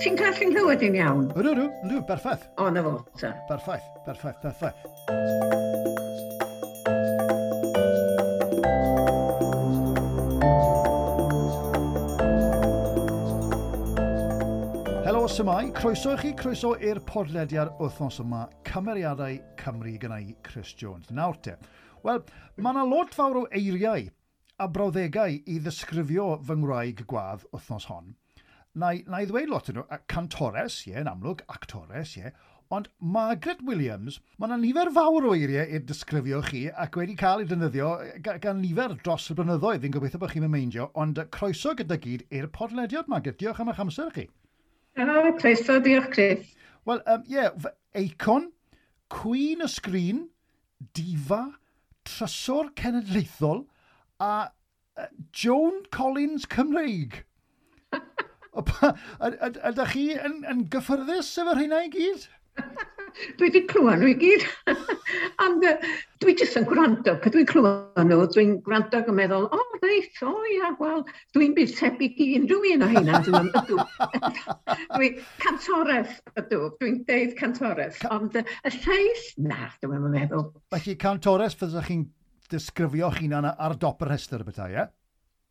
Ti'n gallu nghlywed i'n iawn? Ydw, ydw, ydw, berffaith. O, na fo, ta. Berffaith, berffaith, berffaith. Helo, symai. Croeso i chi, croeso i'r podlediad wythnos yma, Cymeriadau Cymru gyda i Chris Jones. Nawr te, wel, mae yna lot fawr o eiriau a brawddegau i ddisgrifio fy ngwraig gwadd wythnos hon. Na i ddweud lot yn nhw, cantores, ie, yn amlwg, actores, ie, ond Margaret Williams, mae yna nifer fawr o eiriau i'r disgrifio chi ac wedi cael ei defnyddio gan nifer dros y blynyddoedd. Fi'n gobeithio bod chi'n meindio, ond croeso gyda gyd i'r podlediad, Margaret. Diolch am eich amser chi. O, croeso, diolch Chris. Wel, ie, yeah, eicon, Queen y Sgrin, Diva, Trysor Cenedlaethol a Joan Collins Cymreig. Ydych chi yn gyffyrddus efo'r rheina i gyd? Dwi wedi clywed nhw i gyd. Ond dwi jyst yn gwrando. Pan dwi'n clywed nhw, dwi'n gwrando ac yn meddwl, o, oh, reit, o oh, ia, wel, dwi'n byd tebyg i unrhyw un o heina. Dwi'n ydw. Dwi cantores ydw, dwi'n deud cantores. Ond y lleill, na, dwi'n meddwl. Felly cantores fyddwch chi'n disgrifio'ch hunan ar dop y rhestr y bethau, ie?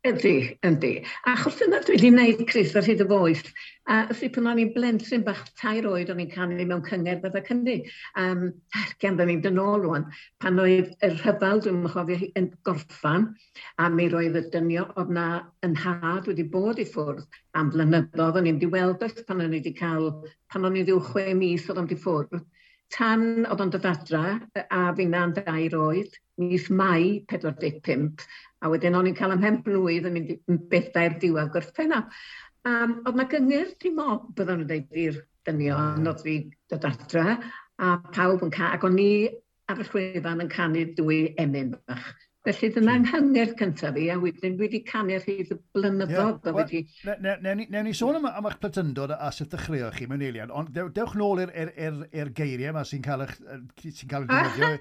Yndi, yndi. Achos dyna dwi wedi gwneud, Chris, ar hyd y foes. A ysi pan o'n i'n blentyn bach 3 oed, o'n i'n canu mewn cyngerdd bydda Cymru. Gan da ni'n dyn ôl rwan, pan oedd y rhyfel, dwi'n chofio, yn gorffan, a mi roedd y dynio oedd na yn nhad wedi bod i ffwrdd am blynyddoedd. O'n i'n di weld oes pan o'n i wedi cael, pan o'n i ryw 6 mis oedd o'n di ffwrdd. Tan oedd o'n dod adra, a finna'n 2 oed, mis Mai 45, a wedyn o'n i'n cael ymhen blwydd yn mynd yn bedair diwedd Gorffennaf. Oedd na gyngerdd dim mob, byddwn nhw'n dweud i'r dynion, oedd fi dod adra, a pawb yn cael, ac o'n i ar y llwyfan yn canu 2 emyn bach. Felly dyna nghyngerdd cyntaf fi, a wedyn dwi wedi canu ar hyd y blynyddoedd. Yeah. Newn ni sôn am eich plentyndod a sut ddechreuoch chi mewn eiliad, ond dewch nôl i'r geiriau yma sy'n cael eich defnyddio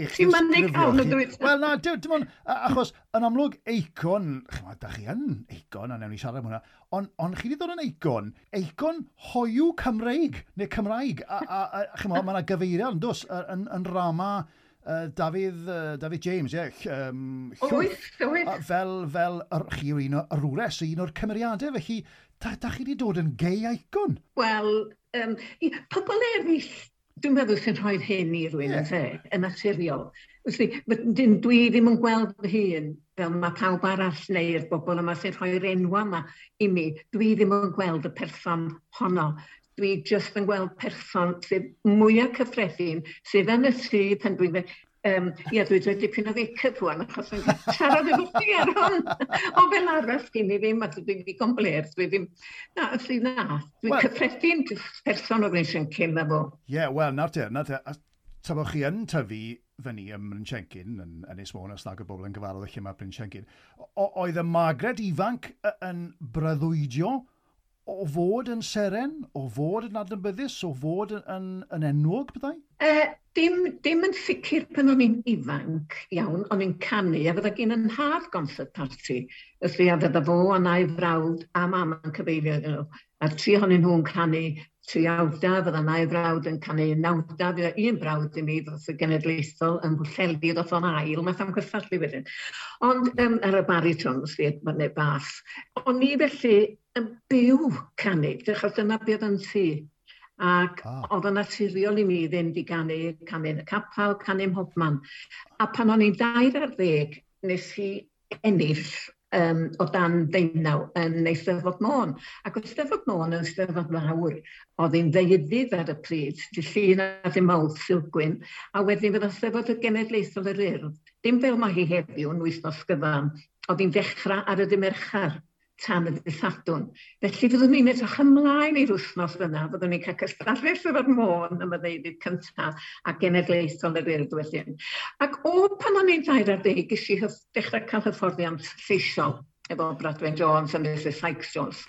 i'ch disgrifio chi. Wel na, dim ond, achos yn amlwg eicon, chymod, da chi yn eicon, a newn ni siarad am hwnna, ond chi wedi dod yn eicon, eicon hoyw Cymreig, neu Cymraeg, a chymod, mae yna gyfeiriad, yn does, yn rama David James, ie. Oes. Fel chi yw un o'r wres, un o'r cymeriadau, felly da chi wedi dod yn gay icon? Wel, pobl eraill, dwi'n meddwl sy'n rhoi hyn i rywun yn lle, yn naturiol. Felly, dwi ddim yn gweld fy hun fel mae pawb arall neu'r bobl yma sy'n rhoi'r enwa yma i mi. Dwi ddim yn gweld y person honno. Dwi jyst yn gweld person sydd mwyaf cyffredin, sydd yn y tŷ pan dwi'n dweud, ie, dwi'n dweud dipyn o make-up rwan, achos yn siarad efo chi ar hwn. Ond fel arall, gen i ddim, a dwi'n ddigon bler, dwi ddim, na, felly na, dwi'n cyffredin jyst person o Bryn Siencyn na fo. Ie, wel, nawr te, ta bod chi yn tyfu fyny ym Mryn Siencyn, yn Ynys Môn, os nag y bobl yn gyfarwydd lle mae Bryn Siencyn, oedd y Margaret ifanc yn breuddwydio o fod yn seren, o fod yn adnabyddus, o fod yn enwog, byddai? Dim yn sicr pan o'n i'n ifanc iawn, o'n i'n canu, a fydda gen yn nhad concert party. Felly, a fydda fo a na'i frawd a mam yn cyfeilio iddyn nhw. A'r 3 ohonyn nhw'n canu 3 awdau, fydda na'i frawd yn canu 9 awdau, fydda un brawd i mi ddoth y genedlaethol yn Bwllheli, ddoth o'n ail, math am cystadlu wedyn. Ond ar y bariton, neu bas. O'n i felly yn byw canu, achos dyna beth yn tŷ. Ac oedd yn naturiol i mi fynd i ganu, canu yn y capel, canu ym mhobman. A pan o'n i'n 13, nes i ennill o dan 19 yn Eisteddfod Môn. Ac oedd Eisteddfod Môn yn Eisteddfod fawr, oedd hi'n ddeuddydd ar y pryd, dy Llun a dy Mawrth Sulgwyn, a wedyn fydd Eisteddfod y Genedlaethol yr Urdd, dim fel mae hi heddiw yn wythnos gyfan, oedd hi'n dechrau ar y dydd Mercher tan y dydd Sadwrn. Felly fyddwn ni'n edrych ymlaen i'r wythnos yna, fyddwn ni'n cael cystadlu Eisteddfod Môn am y ddeuddydd cyntaf a Genedlaethol yr Urdd wedyn. Ac o pan o'n i'n 13, ges i dechrau cael hyfforddiant lleisiol efo Bradwen Jones a Mrs Sykes Jones.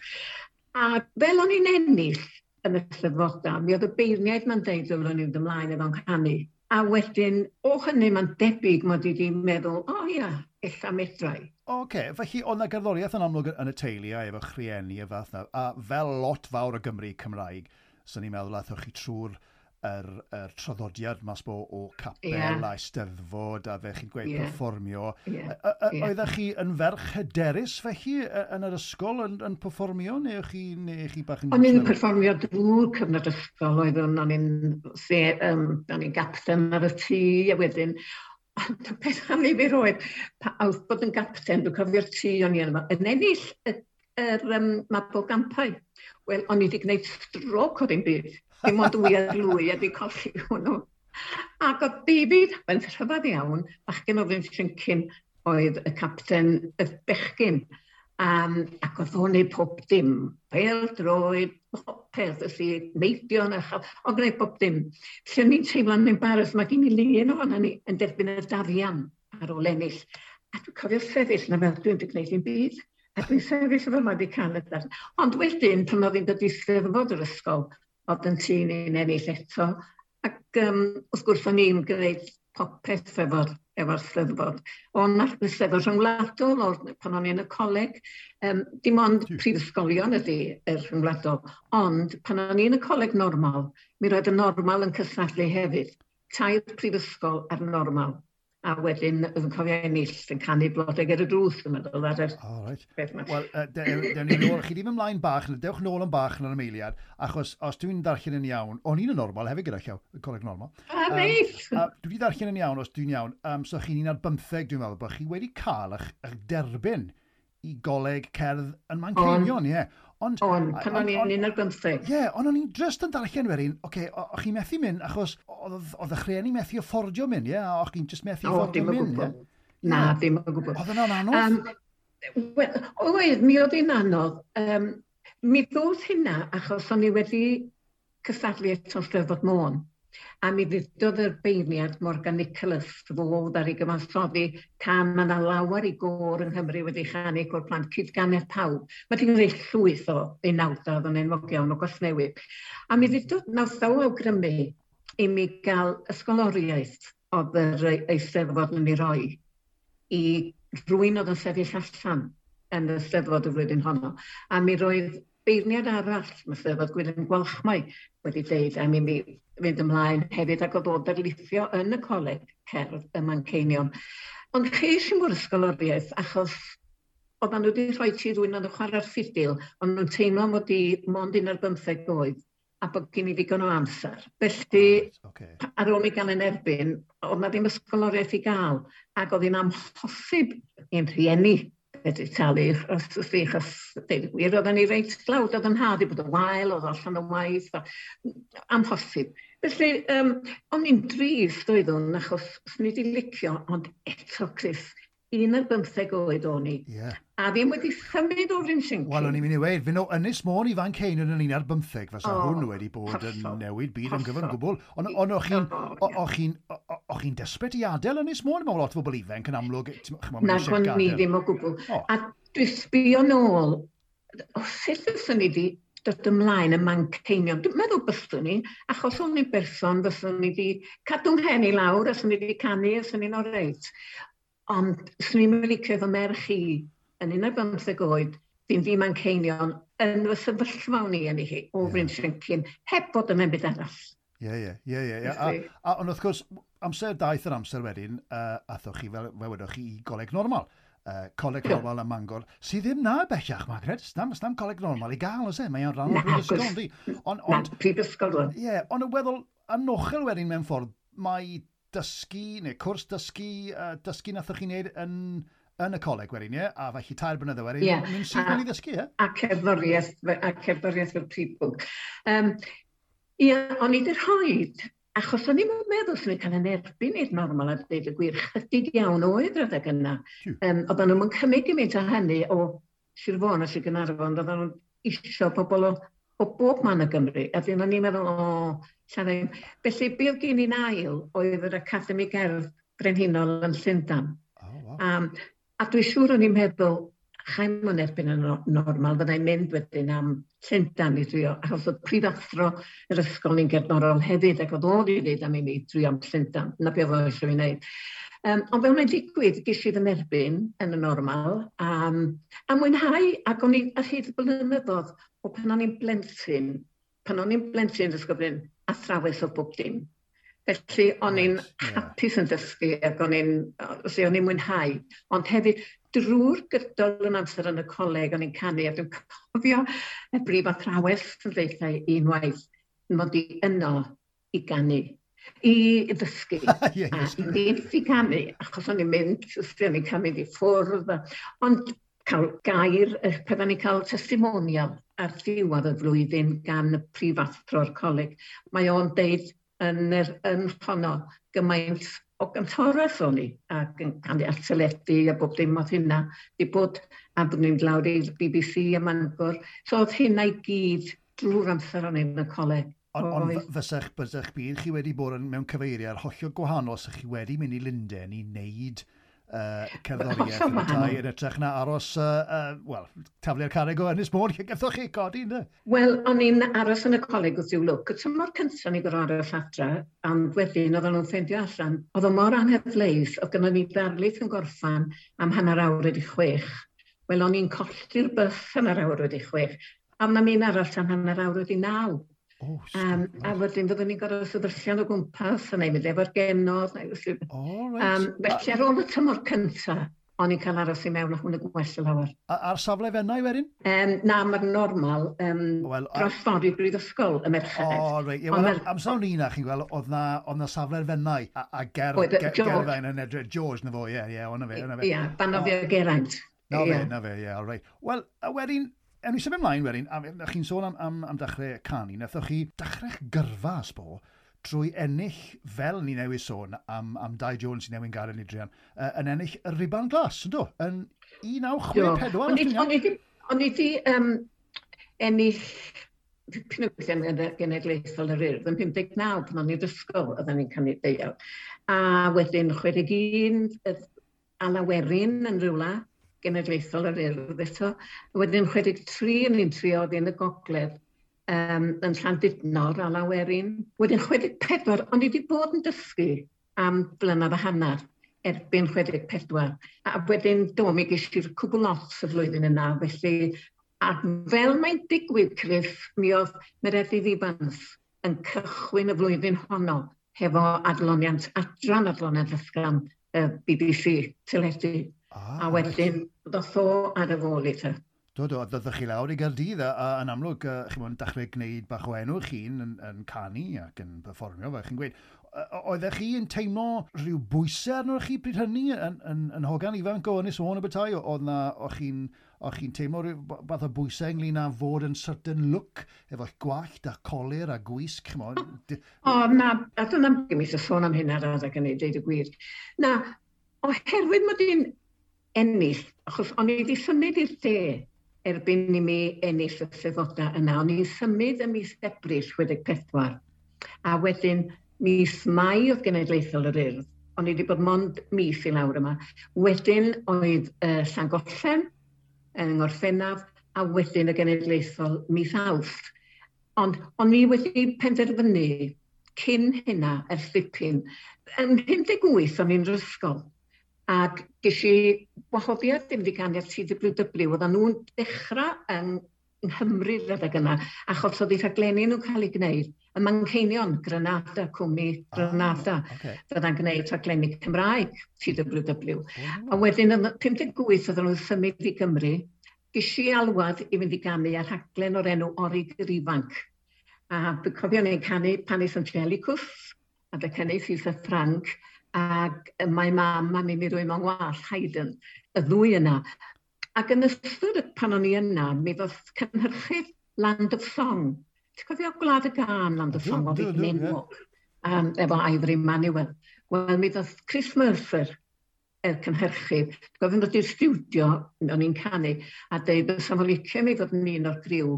A fel o'n i'n ennill yn y Eisteddfodau, mi oedd y beirniaid ma'n deud dylwn i'n mynd ymlaen efo'n canu. A wedyn, o hynny mae'n debyg mod i wedi meddwl, o ia, ella medrai. Oce, okay, felly oedd 'na gerddoriaeth yn amlwg yn y teulu a efo rhieni a fath 'na, a fel lot fawr o Gymru Cymraeg, so ni'n meddwl aethoch chi trwy'r yr traddodiad mas bo o capel a eisteddfod a fe chi'n gweud perfformio. Oeddech chi yn ferch hyderus felly yn yr ysgol yn perfformio neu o'ch chi, neu chi bach yn... O'n i'n perfformio drwy'r cyfnod ysgol, oeddwn, o'n i'n gapten ar y tŷ, a wedyn, ond y peth annifyr oedd, oedd bod yn gapten, dwi'n cofio'r tŷ o'n i yno, yn ennill yr Mabolgampau. Wel, o'n i wedi gwneud stroc o ddim byd. Dim ond dwy ar lwy a wedi colli hwnnw. Ac oedd David, mae'n rhyfedd iawn, bachgen o Fryn oedd y capten y bechgyn. Ac oedd o'n neud pob dim. Pêl droed, popeth, felly neidio yn uchel, o'n gwneud pob dim. Felly o'n i'n teimlo'n embarrassed, mae gen i lun ohono ni yn derbyn y darian ar ôl ennill. A dwi'n cofio sefyll na fel dwi'n gwneud dim byd. A dwi'n sefyll efo yma wedi cael y darn. Ond wedyn, pan oedd hi'n dod i steddfod yr ysgol, oedd yn tîm ni'n ennill eto. Ac wrth gwrs o'n i'n gwneud popeth efo'r steddfod. O'n steddfod rhyngwladol o'r, pan o'n i yn y coleg. Dim ond prifysgolion ydy yr rhyngwladol. Ond pan o'n i yn y coleg normal, mi roedd y normal yn cystadlu hefyd. 3 prifysgol a'r normal. A wedyn, oedd yn cofio ennill yn canu Blodau Ger y Drws, yn meddwl, ar yr oh, right. beth yma. Wel, dewn ni nôl, chi ddim ymlaen bach, dewch nôl yn bach yn yr ymeiliad, achos os dwi'n darllen yn iawn, o'n i'n y normal hefyd gyda llaw, y coleg normal. A, neis! Dwi wedi darllen yn iawn, os dwi'n iawn, so chi'n 15, dwi'n meddwl, bod chi wedi cael eich derbyn i goleg cerdd yn Manceinion, ie. Ond, pan o'n i'n 15. Ie, ond o'n i'n just yn darllen wedyn, oce, o'ch chi'n methu mynd, achos oedd eich rhieni methu affordio mynd, ie, o'ch chi'n just methu affordio mynd, ie? Na, ddim o gwbl. Oedd yna'n anodd? Wel, oedd, mi oedd hi'n anodd. Mi ddod hynna, achos o'n i wedi cystadlu eto Steddfod Môn. A mi ddudodd yr beirniad Morgan Nicholas fod ar ei gyfansoddi can mae yna lawer i gôr yng Nghymru wedi chanu côr plant cydganedd pawb. Mae wedi gwneud llwyth o unawdau oedd yn enwog iawn o Gasnewydd. A mi ddudodd nath o awgrymu i mi gael ysgoloriaeth oedd yr eisteddfod yn ei roi i rywun oedd yn sefyll allan yn y Steddfod y flwyddyn honno. A mi roedd beirniad arall, mae Steddfod Gwilym Gwalchmai wedi deud am i mi fynd ymlaen hefyd ac oedd o darlithio yn y coleg cerdd ym Manceinion. Ond ches i mor ysgoloriaeth achos oedden nhw wedi rhoi ti rywun oedd yn chwarae'r ffidil, ond nhw'n teimlo mod i mond 15 oed a bod gen i ddigon o amser. Felly, ar ôl mi gael yn erbyn, oedd na ddim ysgoloriaeth i gael, ac oedd hi'n amhosib i'n rhieni wedi talu, achos deud y gwir, oedden ni reit dlawd, oedd yn nhad i bod yn wael, oedd allan o waith, amhosib. Felly, o'n i'n drist oeddwn, achos swn i wedi licio, ond eto, Chris, 15 oed o'n i. Yeah. A ddim wedi symud o Fryn Siencyn. Wel, o'n i'n mynd i weud, fynd o Ynys Môn i Fanceinion yn 15, fysa hwn wedi bod yn newid byd yn gyfan gwbl. Ond o'ch chi'n desperate i adael Ynys Môn? Mae lot o bobl ifanc yn amlwg. Na, o'n ni ddim o gwbl. A dwi sbio nôl, sut fyswn ni wedi dod ymlaen y Manceinion? Dwi'n meddwl byswn ni, achos o'n i'n berson, fyswn ni wedi cadw 'mhen i lawr, os o'n i wedi canu, os o'n i'n oreit. Ond swn i'n licio efo merch i yn 15 oed, fynd i Manceinion yn fy sefyllfa o'n i yn ei hi, o Fryn Siencyn, heb bod yn byd arall. Ie. Ond wrth gwrs, amser daeth yr amser wedyn, athoch chi, fel wedoch chi, i goleg normal. Coleg normal ym Mangor, sydd ddim na bellach, Margaret. Stam coleg normal i gael, oes e? Mae'n rhan o'r brifysgol, yndi? Na, prifysgol. Ie, ond y weddol anochel wedyn mewn ffordd, mae dysgu, neu cwrs dysgu, dysgu nathoch chi'n neud yn y coleg wedyn, ie? A felly 3 blynedd wedyn, mynd syth mewn i ddysgu, ie? A cerddoriaeth fel prif bwnc. Ie, o'n i wedi rhoid, achos o'n i'n meddwl swn i'n cael yn erbyn i'r normal a dweud y gwir, chydig iawn oedd rhedeg yna. Oedden nhw'n cymryd gymaint o hynny o Sir Fôn a Sir Gaernarfon, oedden nhw'n isio pobl o bob man o Gymru, a dyn o'n i'n meddwl, lla ddim. Felly, be oedd gen i'n ail oedd yr Academi Gerdd Brenhinol yn Llundain. Oh, wow. A dwi'n siŵr o'n i'n meddwl, Chaim o'n erbyn yn normal, fyddai'n mynd wedyn am Llundain i drio, achos oedd prifathro yr ysgol ni'n gerddorol hefyd, ac oedd o wedi dweud am i mi drio am Llundain, na beth oedd eisiau fi wneud. Ond fel mae'n digwydd, ges i fy nerbyn yn y normal, a mwynhau, ac o'n i ar hyd y blynyddoedd, o pan o'n i'n blentyn, pan o'n i'n blentyn yn ysgol Bryn, athrawes o bob dim. Felly o'n i'n hapus yn dysgu ac o'n i'n o'n i'n mwynhau. Ond hefyd, drwy'r gydol yn amser yn y coleg, o'n i'n canu, a dwi'n cofio y brif athrawes yn ddeutha unwaith, mod i yno i ganu, i ddysgu, a ddim i ganu, achos o'n i'n mynd, o'n i'n cael mynd i ffwrdd, ond cael gair, pan o'n i'n cael testimonial ar ddiwedd y flwyddyn gan y prifathro'r coleg, mae o'n deud yn honno gymaint o gantores o'n i, ac yn canu ar teledu a bob dim oedd hynna, di bod, a bod ni'n lawr i'r BBC a Mangor. So oedd hynna i gyd drwy'r amser o'n i yn y coleg. Ond on fysech, bysech byd chi wedi bod yn, mewn cyfeiriad hollol gwahanol os chi wedi mynd i Lundain i wneud cerddoriaeth yn y tai yn ytrach na aros, wel, taflu'r carreg o Ynys Môn, lle gathoch chi codi, ynddo? Wel, o'n i'n aros yn y coleg wrth i'w lwc. Y tymor cyntaf ni gorfod aros adra, ond wedyn oedden nhw'n ffeindio allan. Oedd o mor anghyfleus, oedd gynnon ni ddarlith yn gorffan am 6:30. Wel, o'n i'n colli'r bws 6:30, a mae'n un arall am 9:30. Oh, a wedyn fyddwn ni'n gorfod sefyllian o gwmpas a neu mynd efo'r genod. Oh, right. Felly ar ôl y tymor cyntaf, o'n i'n cael aros i mewn a hwn y gwell o lawer. Ar safle Fenai wedyn? Na, mae'r normal well, dros ffordd i'r brifysgol y merched. O, reit. Yeah, well, amser o'n i na, chi'n gweld, oedd na safle'r Fenai a Gerfain yn edrych. George, na fo, ie, o'na fe. Ie, fan o fi o Geraint. Na fe, ie, all right. Wel, a wedyn, ewn ni symud ymlaen wedyn, a chi'n sôn am dechrau canu, nathoch chi dechrau'ch gyrfa, sbo, drwy ennill, fel ni newydd sôn, am Dai Jones sy'n newid gadael ni druan, yn ennill y Rhuban Glas, ynddo? Yn 1964. O'n i di ennill Penwythnos Genedlaethol yr Urdd yn 59 pan o'n i'n ysgol, oedden ni'n canu deuawd. A wedyn 61, Alawerin yn rhywle, Genedlaethol yr Urdd eto. Wedyn 63 yn un trio oedd yn y gogledd yn Llandudno, Alawerin. Wedyn 64, o'n i wedi bod yn dysgu am blynedd a hanner erbyn 64. A wedyn do, mi ges i'r cwbl lot y flwyddyn yna, felly a fel mae'n digwydd, Chris, mi oedd Meredydd Ifans yn cychwyn y flwyddyn honno hefo adloniant, adran adloniant ysgafn BBC teledu. A wedyn, ddoth o ar y fôl i te. Do, ddoth chi lawr i Gaerdydd, a yn amlwg, chi'n mwyn dechrau gwneud bach o enw chi'n yn canu ac yn perfformio, fel chi'n gweud. Oeddech chi yn teimlo rhyw bwysau arnoch chi bryd hynny yn hogan ifanc o Ynys Môn Abertai? O'ch chi'n teimlo rhyw fath o bwysau ynglyn â fod yn certain look, efo'ch gwallt a colur a gwisg, ch'mod? O, na, a dyna ddim eisiau sôn am hyn ar adeg hynny, deud y gwir. Na, oherwydd mod i'n ennill, achos o'n i wedi symud i'r de erbyn i mi ennill y Steddfodau yna. O'n i'n symud ym mis Ebrill 64, a wedyn mis Mai oedd Genedlaethol yr Urdd. O'n i wedi bod mond mis i lawr yma. Wedyn oedd Llangollen yng Ngorffennaf, a wedyn y Genedlaethol mis Awst. Ond o'n i wedi penderfynu cyn hynna ers dipyn. Yn 58 o'n i'n ysgol. Ac ges i wahoddiad i fynd i ganu ar TWW, oedden nhw'n dechrau yng Nghymru adeg yna, achos oedd eu rhaglenni nhw'n cael eu gwneud. Y Manceinion, Granada, cwmni Granada, fydda'n gwneud rhaglenni Cymraeg, TWW. A wedyn yn 58 oedden nhw'n symud i Gymru, ges i alwad i fynd i ganu ar rhaglen o'r enw Orig yr Ifanc. A dwi'n cofio ni'n canu Panis Angelicus, a dy canu Cesar Frank, ac mae mam a mi rwy mewn wallt, Haydn, y ddwy yna. Ac yn ystod pan o'n i yna, mi ddoth cynhyrchydd Land of Song. Ti'n cofio Gwlad y Gân, Land of Song, oedd hi'n enwog, efo Ivory Manuel. Wel, mi ddoth Chris Mercer, y cynhyrchydd, gofyn ddod i'r stiwdio, o'n i'n canu, a deud bysa fo'n licio mi fod yn un o'r griw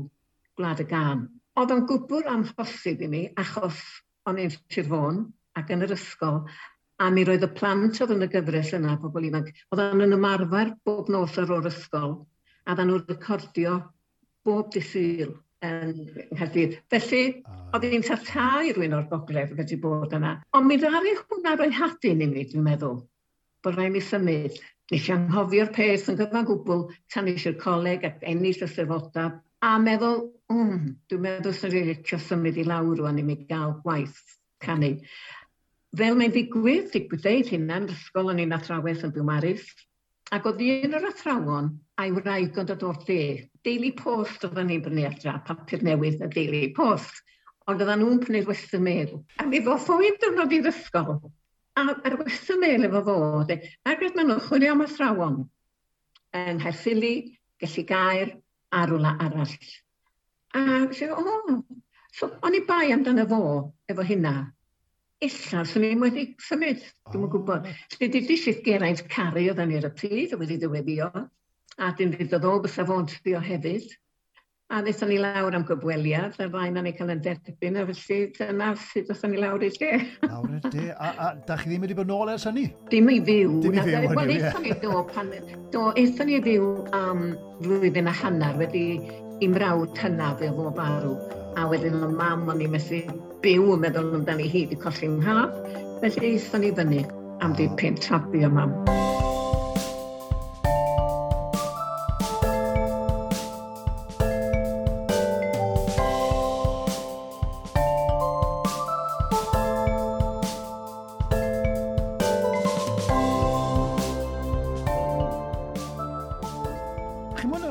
Gwlad y Gân. Oedd o'n gwbl amhosib i mi, achos o'n i'n Sir Fôn ac yn yr ysgol, a mi roedd y plant oedd yn y gyfres yna, pobl ifanc, oedd yn ymarfer bob nos ar ôl ysgol. A dda nhw'n recordio bob dydd Sul yn Nghaerdydd. Felly, oedd hi'n tata i rywun o'r gogledd wedi bod yna. Ond mi ddaru hwnna roi hadyn i mi, dwi'n meddwl, bod rhaid mi symud. Nes i anghofio'r peth yn gyfan gwbl tan nes i'r coleg ac ennill y Steddfodau, a meddwl, dwi'n meddwl sy'n rili licio symud i lawr rwan i mi gael gwaith canu. Fel mae'n digwydd, digwydd deud hynna, yn ysgol o'n i'n athrawes yn Biwmaris, ac oedd un o'r athrawon a'i wraig yn dod o'r de. Daily Post oedden ni'n brynu adra, papur newydd y Daily Post. Ond oedden nhw'n prynu'r Western Mail. A mi ddoth o un diwrnod i'r ysgol, a yr Western Mail efo fo, de, ac roedd maen nhw'n chwilio am athrawon yng Nghaerffili, Gelligaer, a rwla arall. A so, so o'n i bai amdano fo efo hynna. Ella, swn i'n wedi symud, dwi'm yn gwybod. Felly, dudis i Geraint Carey oedden ni ar y pryd, oedd wedi dyweddio, a dyn ddudodd o, bysa fo'n trio hefyd. A ddaethon ni lawr am gyfweliad, a'r ddau na ni cael yn derbyn, a felly dyna sut ddaethon ni lawr i'r de. Lawr i'r de, a da chi ddim wedi bod nôl ers hynny? Dim i fyw. Dim i fyw, hynny, ie. Wel, aethon ni i fyw am flwyddyn a hanner wedi i mrawd hynaf fe fo farw. A wedyn oedd mam o'n i methu byw yn meddwl amdani hi wedi colli 'mhab. Felly aethon ni fyny am dipyn tra bu o mam.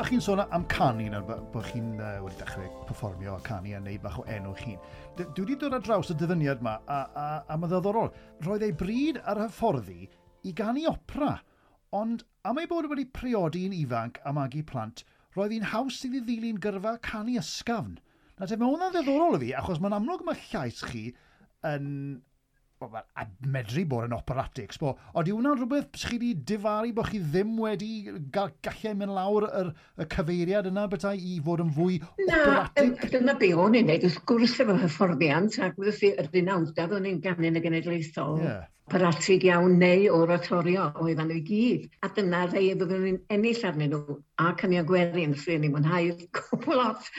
Chi'n sôn am canu nawr, bod chi'n wedi dechrau perfformio a canu a neud bach o enw chi'n. Dwi wedi dod ar draws y dyfyniad yma, a mae'n ddiddorol. Roedd ei bryd ar hyfforddi i ganu opera, ond am ei bod wedi priodi'n ifanc a magu plant, roedd hi'n haws iddi ddilyn gyrfa canu ysgafn. Na te, mae hwnna'n ddiddorol i fi, achos mae'n amlwg mae llais chi yn... Wel, a medru bod yn operatic, sbo. Ond yw hwnna'n rhywbeth chi wedi difaru bod chi ddim wedi gallu mynd lawr y cyfeiriad yna bethau i fod yn fwy operatic? Na, dyna be o'n i'n neud, wrth gwrs efo hyfforddiant, ac wrth i yr unawdau o'n i'n ganu yn y genedlaethol, operatig iawn neu oratorio oedden nhw i gyd. A dyna rhai fyddwn ni'n ennill arnyn nhw, a canu gwerin, sy'n ni'n mwynhau'r cwbl lot.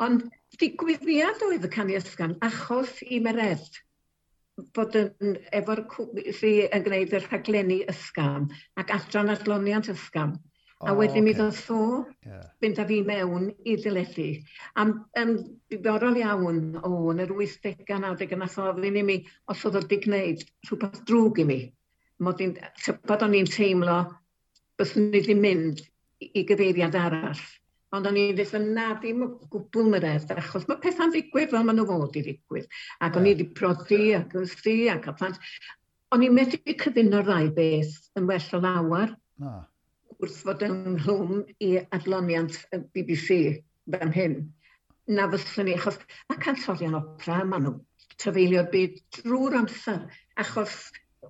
Ond digwyddiad oedd y canu ysgafn achos i Mered bod yn, efo'r sy yn gwneud y rhaglenni ysgafn ac adran adloniant ysgafn. A wedyn mi ddoth o fynd â fi mewn i deledu. Am, yn ddiddorol iawn, yn yr 80au, 90au, nath o ofyn i mi os oedd o wedi gwneud rhywbeth drwg i mi. Mod i'n, tybed o'n i'n teimlo byswn i wedi mynd i gyfeiriad arall. Ond o'n i'n dweud, na, ddim o gwbl Mered, achos mae pethau'n ddigwydd fel maen nhw fod i ddigwydd. Ac o'n i wedi prodi ac yn sti ac cael plant. O'n i'n medru cyfuno'r ddau beth yn well o lawer. Wrth fod ynghlwm i adloniant y BBC fan hyn. Na fyswn i, achos mae cantorion opera, maen nhw trafeilio'r byd drwy'r amser, achos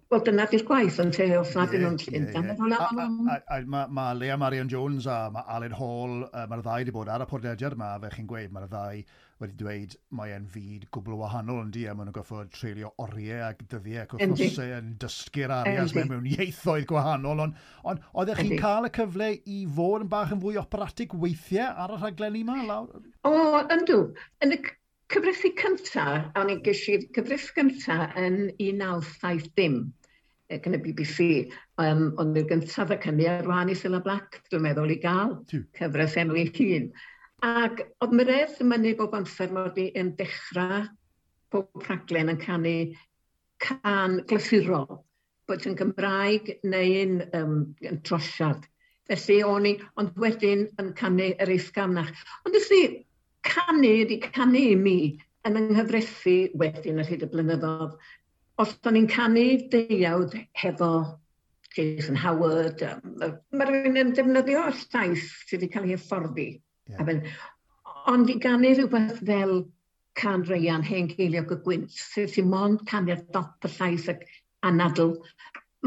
wel, dyna di'r gwaith yn te, os nad ydyn nhw'n Llundain. Mae Leah Marion Jones a mae Aled Hall, mae'r ddau wedi bod ar y podlediad yma, fe chi'n gweud, mae'r ddau wedi dweud mae e'n fyd gwbl wahanol yn di, a maen nhw'n gorfod treulio oriau ac dyddiau ac wythnosau yn dysgu'r arias mewn ieithoedd gwahanol, ond oeddech chi'n cael y cyfle i fod yn bach yn fwy operatig weithiau ar y rhaglenni yma, lawr? O, yndw. Yn y cyfresi cyntaf, o'n i'n ges i'r cyfres gyntaf yn 1970 gan y BBC, ond i'r gyntaf y cynnu ar wahân i Cilla Black, dwi'n meddwl, i gael cyfres enw ei hun. Ac oedd Mered yn mynnu bob amser mod i yn dechrau pob rhaglen yn canu cân glasurol, bod yn Gymraeg neu'n yn trosiad. Felly o'n i, ond wedyn yn canu yr ysgafnach. Ond ys i, canu ydi canu i mi yn yng nghyfresu wedyn ar hyd y blynyddoedd. Os o'n i'n canu deuawd hefo Jason Howard, mae rhywun yn defnyddio llais sydd wedi cael ei hyfforddi. Ond i ganu rhywbeth fel Cân Ryan, Hen Geiliog y Gwynt, sydd sy'n mond canu'r dop y llais ac anadl,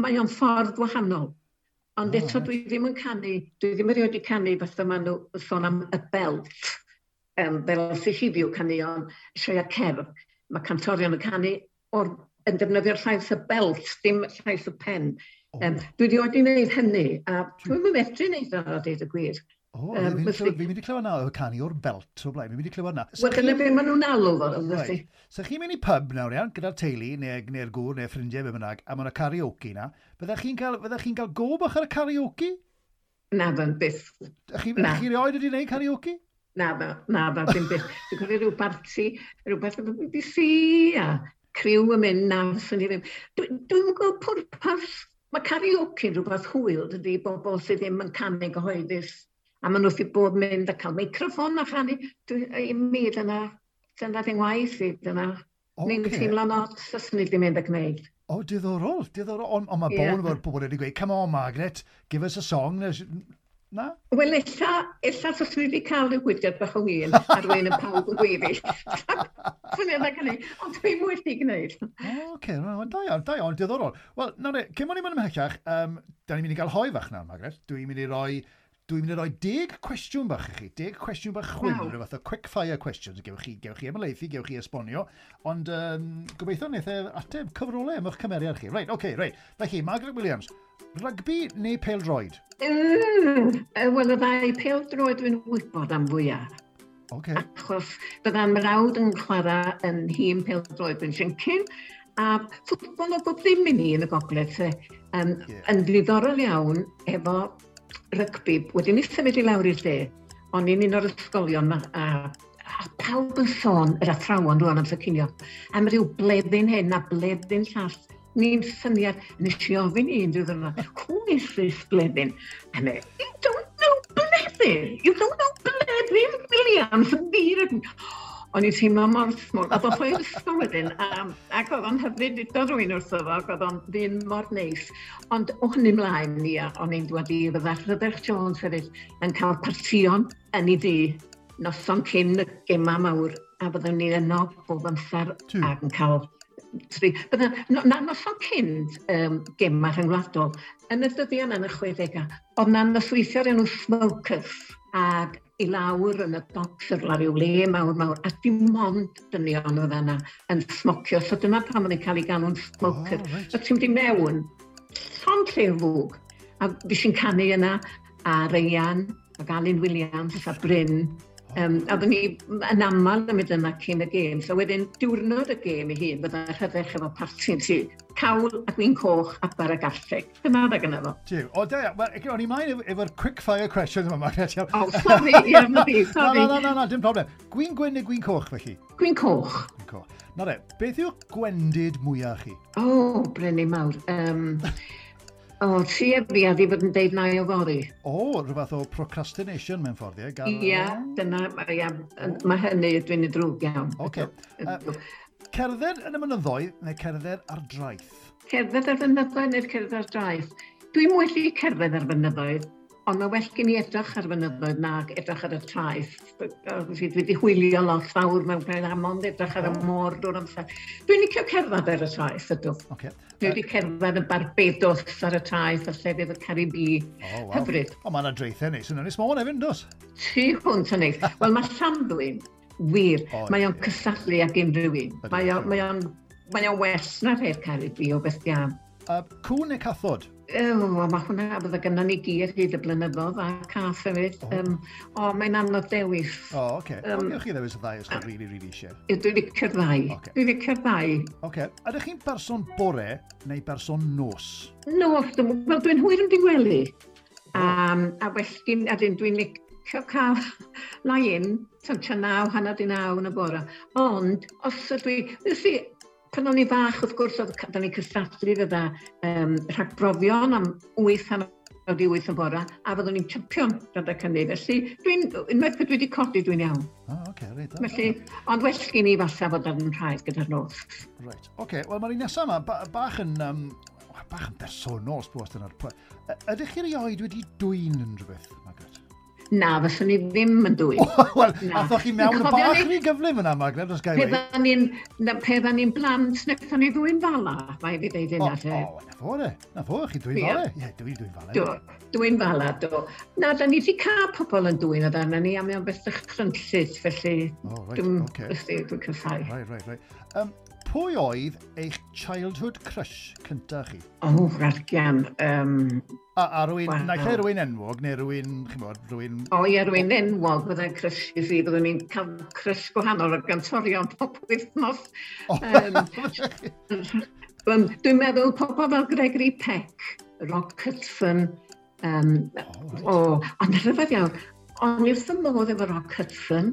mae o'n ffordd wahanol. Ond eto dwi ddim yn canu, dwi ddim erioed wedi canu fatha maen nhw sôn am y belt, fel sy'n heddiw caneuon sioeau cerdd. Mae cantorion yn canu yn defnyddio'r llais y belt, dim llais y pen. Dwi wedi oed i wneud hynny, a dwi'n medru wneud o, a deud y gwir. O, fi'n mynd i clywed na, y canu o'r belt o blaen, fi'n mynd i clywed na. Wel, dyna beth maen nhw'n alw fo, right. So chi'n mynd i pub nawr iawn, gyda'r teulu, neu'r gŵr, neu ffrindiau, be bynnag, a maen karaoke na. Fyddech chi'n cael, fyddech chi'n cael go bach ar y karaoke? Na, fy'n byth. Chi, chi rioed wedi gwneud karaoke? Na, na, ddim byth. Dwi'n cofio rhyw barti, rhywbeth efo BBC a criw yn mynd, na, fyswn i ddim. Dwi'n gwybod pwrpas. Mae karaoke yn rhywbeth hwyl, dydy, bobl sydd ddim yn canu gyhoeddus. A maen nhw wrth i bod mynd a cael meicroffon a chanu. I mi, dyna ddim waith i, dyna. Okay. Ni'n teimlo'n od, os ni wedi mynd a gwneud. O, diddorol, diddorol. Ond on mae yeah. Bod pobl wedi gweud, come on Margaret, give us a song. Na? Wel, ella os ni wedi cael rhyw gwydiad bach o win a rwy'n yn pawb yn gweiddi. Swn i'n hynny, ond dwi'n wedi gwneud. O, oce, da iawn, da iawn, diddorol. Wel, nawr, cyn bod ni'n mynd ymhellach, da ni'n mynd i gael hoe fach nawr, Margaret. Dwi'n mynd i roi Dwi'n mynd i roi 10 cwestiwn bach i chi, 10 cwestiwn bach chwim, wow. Rhyw fath o quick fire questions. Gewch chi ymhelaethu, gewch chi esbonio, ond gobeithio wneith e ateb cyfrolau am eich cymeriad chi. Reit, oce, okay, reit. Felly, Margaret Williams, rygbi neu pêl-droed? Wel, y ddau pêl-droed dwi'n wybod am fwyaf. Okay. Achos bydda'n mrawd yn chwarae yn nhîm pêl-droed Bryn Siencyn, a ffwtbol o bob ddim i ni yn y gogledd, yn ddiddorol iawn efo rygbi. Wedyn ni symud i lawr i'r de, o'n i'n un o'r ysgolion a pawb yn sôn, yr athrawon rwan amser cinio, am ryw bleddyn hyn a bleddyn llall. Ni'n syniad, nes i ofyn i un diwrnod, who is this bleddyn? A me, you don't know bleddyn! You don't know Bleddyn Williams! O'n i'n teimlo mor small. A ddoth o i'r ysgol wedyn, ac oedd o'n hyfryd, dudodd rhywun wrtho fo, ac oedd o'n ddyn mor neis. Ond o hynny mlaen, ia, o'n i'n dweud i fydda Rhydderch Jones hefyd yn cael partïon yn ei dŷ, noson cyn y gema mawr, a byddwn ni yno bob amser ac yn cael tri. Bydda, na noson cyn gema rhyngwladol, yn y dyddiau yna yn y 60au, oedd na nosweithio o'r enw Smokers, ac i lawr yn y docks yr ryw le mawr mawr, a dim ond dynion oedd yna yn smocio. So dyna pam oedd yn cael ei galw'n smoker. Oh, right. So ti'n mynd i mewn, llond lle o fwg. A fi sy'n canu yna, a Ryan, ac Alun Williams, a Bryn. A oedden ni yn aml yn mynd yna cyn y gêm. So wedyn, diwrnod y gêm ei hun, bydda Rhydderch efo parti'n tŷ. Cawl a gwin coch a bara garlleg. Dyna dda gyda fo. Jiw. O, da iawn. Wel, o'n i mlaen efo'r quick fire questions yma, Margaret. O, sorry, ie, na fi, sorry. Na, dim problem. Gwin gwyn neu gwin coch, felly? Gwin coch. Gwin coch. Na re, beth yw'r gwendid mwyaf chi? O, Brenin mawr. O, ti a fi a di fod yn deud na i o fory. O, rhywbeth o procrastination mewn ffordd, ie? Ia, dyna, ia, mae hynny dwi'n ei ddrwg iawn. Oce. Cerdded yn y mynyddoedd neu cerdded ar draeth? Cerdded ar fynyddoedd neu'r cerdded ar draeth? Dwi'n wedi cerdded ar fynyddoedd, ond mae well gen i edrych ar fynyddoedd nag edrych ar y traeth. Dwi wedi hwylio lot fawr mewn pen am ond edrych ar y môr drwy'r amser. Dwi'n licio cerdded ar y traeth, ydw. Okay. Dwi wedi cerdded yn Barbados ar y traeth a llefydd y Caribi. Oh, wow. Hyfryd. O, mae yna draethau neis yn Ynys Môn hefyd, does? Tu hwnt yn neis. Wel, mae Llanddwyn, wir, mae o'n cysadlu ag unrhyw un. Mae o'n well na'r rhai'r Caribi o beth iawn. Cŵn neu cathod? O, mae hwnna, bydde gynnon ni gi ar hyd y blynyddoedd a cath hefyd. O, mae'n anodd dewis. O, oce. Gewch chi ddewis y ddau os chi'n really, really eisiau. Dwi'n licio'r ddau. Dwi'n licio'r ddau. Oce. Ydych chi'n person bore neu person nos? Nos, wel, dwi'n hwyr yn digwelu. A well, a dwi'n licio cael lie-in, tua 9, 9:30 yn y bore. Ond, os ydw i, pan o'n i fach, wrth gwrs, oedd da ni'n cystadlu fydda rhagbrofion am 8:30 yn bora, a fyddwn ni'n champion rhedeg hynny. Felly, unwaith pryd dwi wedi codi, dwi'n iawn. O, oce, reit. Felly, ond well gen i falle fod ar yn rhaid gyda'r nos. Reit, oce. Wel, mae'r un nesaf yma, bach yn bersonol, sbos dyna'r pwynt. Ydych chi erioed wedi dwyn unrhyw beth, Margaret? Na, fyswn i ddim yn dwyn. Wel, athoch chi mewn y bach rhy gyflym yna, Margaret, os gael ei. Pe dda ni'n blant, wnaethon ni ddwyn fala, mae fi ddeud hynna. O, na fo, na fo, chi dwyn fala. Ie, dwi'n dwyn fala. Do, dwyn fala, do. Na, da ni wedi cael pobl yn dwyn o dan ni, a mae o'n beth dychrynllyd, felly O, reit, oce. Dwi'n cysau. Reit. Pwy oedd eich childhood crush cyntaf chi? O, oh, rargian. A rwy'n, wow. Naill ai rwy'n enwog, neu rwy'n, chi'mod, rwy'n. O ie, rwy'n enwog, byddai'n crush i fi, byddwn ni'n cael crush gwahanol o gantorion pob wythnos. O. Dwi'n meddwl pobl fel Gregory Peck, Rock Hudson, Oh, o, ond rhyfedd iawn, o'n i wrth y modd efo Rock Hudson,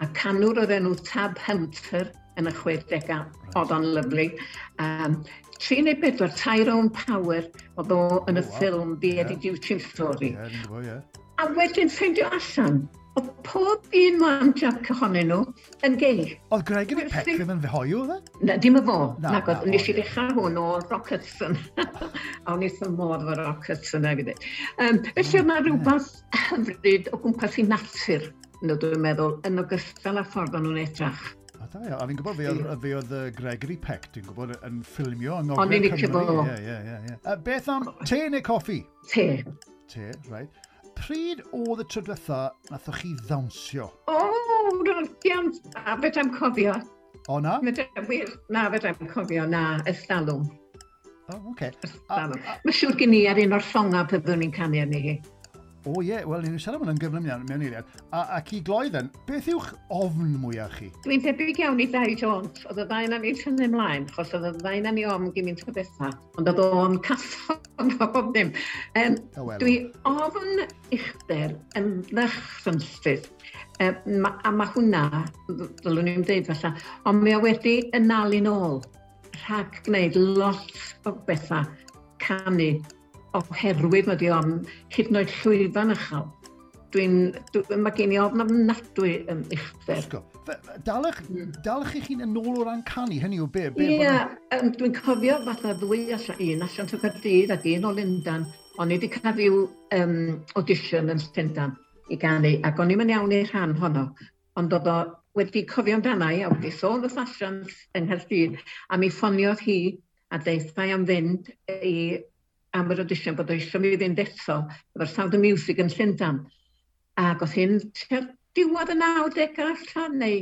a canwr o'r enw Tab Hunter yn y 60au, oedd o'n lyfli. 3 neu 4, Tyrone Power, oedd o yn y ffilm The Eddie Duchin Story. Ie, ni'n gwybod, ie. A wedyn ffeindio allan, oedd pob un man Jack ohonyn nhw yn gay. Oedd Gregory Peck ddim yn hoyw, oedd e? Na, dim y fo. Na, Na, na, nes o, i ddechrau hwn o Rock Hudson. A o'n i wrth y modd efo Rock Hudson hefyd. Felly oedd 'na rhywbeth hyfryd o gwmpas i natur, nhw dwi'n meddwl, yn ogystal â ffordd o'n nhw'n edrach. O, da iawn. A fi'n gwybod fe oedd Gregory Peck, dwi'n gwybod, yn ffilmio yng O'n Ngogledd i'n licio Cymru. fo. Ie. Beth am te neu coffi? Te. Te, right. Pryd oedd y tro diwetha nathoch chi ddawnsio? O, rodian, a fedrai'm cofio. O na? Fedrai'm, wir, na, fedrai'm cofio, na, ystalwm. O, oce. Ystalwm. Mae'n siŵr gen i ar un o'r llongau byddwn ni'n canu arni hi. O ie, wel, ni'n siarad am hwnna'n gyflym iawn mewn eiliad. Ac i gloi then, beth yw'ch ofn mwyaf chi? Dwi'n debyg iawn i Dai Jones. Oedd y ddau na ni'n tynnu ymlaen, achos oedd y ddau na ni ofn gymaint o bethau. Ond oedd o'n cathod o bob dim. O, wel. Dwi ofn uchder yn ddychrynllyd. A mae hwnna, ddylwn i'n dweud falle, ond mae o wedi yn nal i'n ôl rhag gwneud lot o bethau canu oherwydd mae di ofn hyd yn oed llwyfan uchel. Mae gen i ofn ofnadwy yn uchder. Ysgo. Dalech chi chi'n yn ôl o ran canu, hynny yw be? Be Ie, dwi'n cofio fatha ddwy allan, un allan o Gaerdydd ac un o Lundan. O'n i wedi cael rhyw audition yn Llundan i ganu, ac o'n i'm yn iawn i'r rhan honno. Ond oedd o wedi cofio amdana i, a wedi sôn wrth asiant yng Nghaerdydd, a mi ffoniodd hi a deutha i am fynd i am yr audition bod o eisiau mi fynd eto efo'r Sound of Music yn Llundan. Ac oedd hyn tua diwedd y 90au allan, neu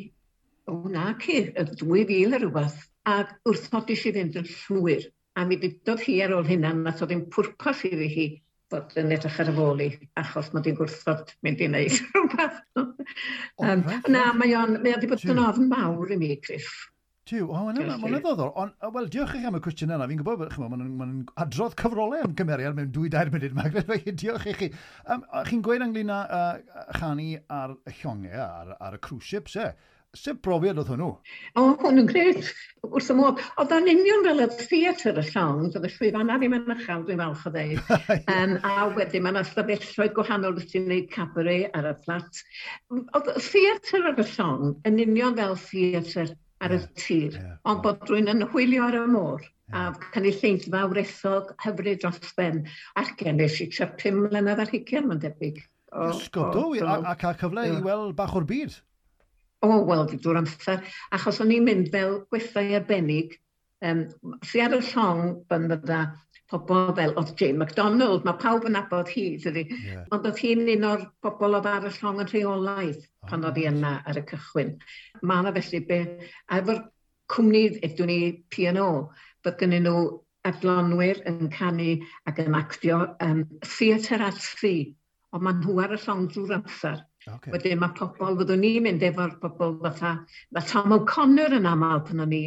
o na ci, y 2000 a rhywbeth. Ac wrthodis i fynd yn llwyr. A mi ddudodd hi ar ôl hynna, nath o ddim pwrpas iddi hi fod yn edrych ar y fôl i, achos mod i'n gwrthod mynd i wneud rhywbeth. Reit, na, mae o wedi bod yn ofn mawr i mi, Chris. Tiw, o, mae'n ma Felly. ddiddorol. Ond, wel, diolch i chi am y cwestiwn yna. Fi'n gwybod, ch'mo, maen nhw'n ma adrodd cyfrolau am gymeriad mewn 2-3 munud, Margaret, felly diolch i chi. Chi'n gweud ynglyn â chanu ar y llongau, ar y cruise ships, e? Sut brofiad oedd hwnnw? O, hwn yn grêt. Wrth y modd. Oedd o'n union fel y theatr y llong, oedd y llwyfanna ddim yn uchel, dwi'n falch o ddeud. A wedyn mae yna stafelloedd gwahanol wrth ti'n gwneud cabaret ar y fflat. Oedd y theatr ar y llong yn union fel theatr ar y tir, ond bod rhywun yn hwylio ar y môr. A cynulleidfa wresog hyfryd dros ben. Ac gen nes i tua 25, mae'n debyg. Ysgol, do, a cael cyfle i weld bach o'r byd. O, wel, drwy'r amser. Achos o'n i'n mynd fel gwestai arbennig. Si ar y llong pan fydda pobl fel, oedd Jane McDonald, mae pawb yn nabod hi, dydy. Ond oedd hi'n un o'r bobl oedd ar y llong yn rheolaidd pan oedd hi yna ar y cychwyn. Mae yna felly be, a efo'r cwmni, ydwn ni P&O, bod gennyn nhw adlonwyr yn canu ac yn actio theatr at sea, ond maen nhw ar y llong drwy'r amser. Wedyn mae pobl, fyddwn ni'n mynd efo'r pobl fatha, mae Tom O'Connor yn aml pan o'n i,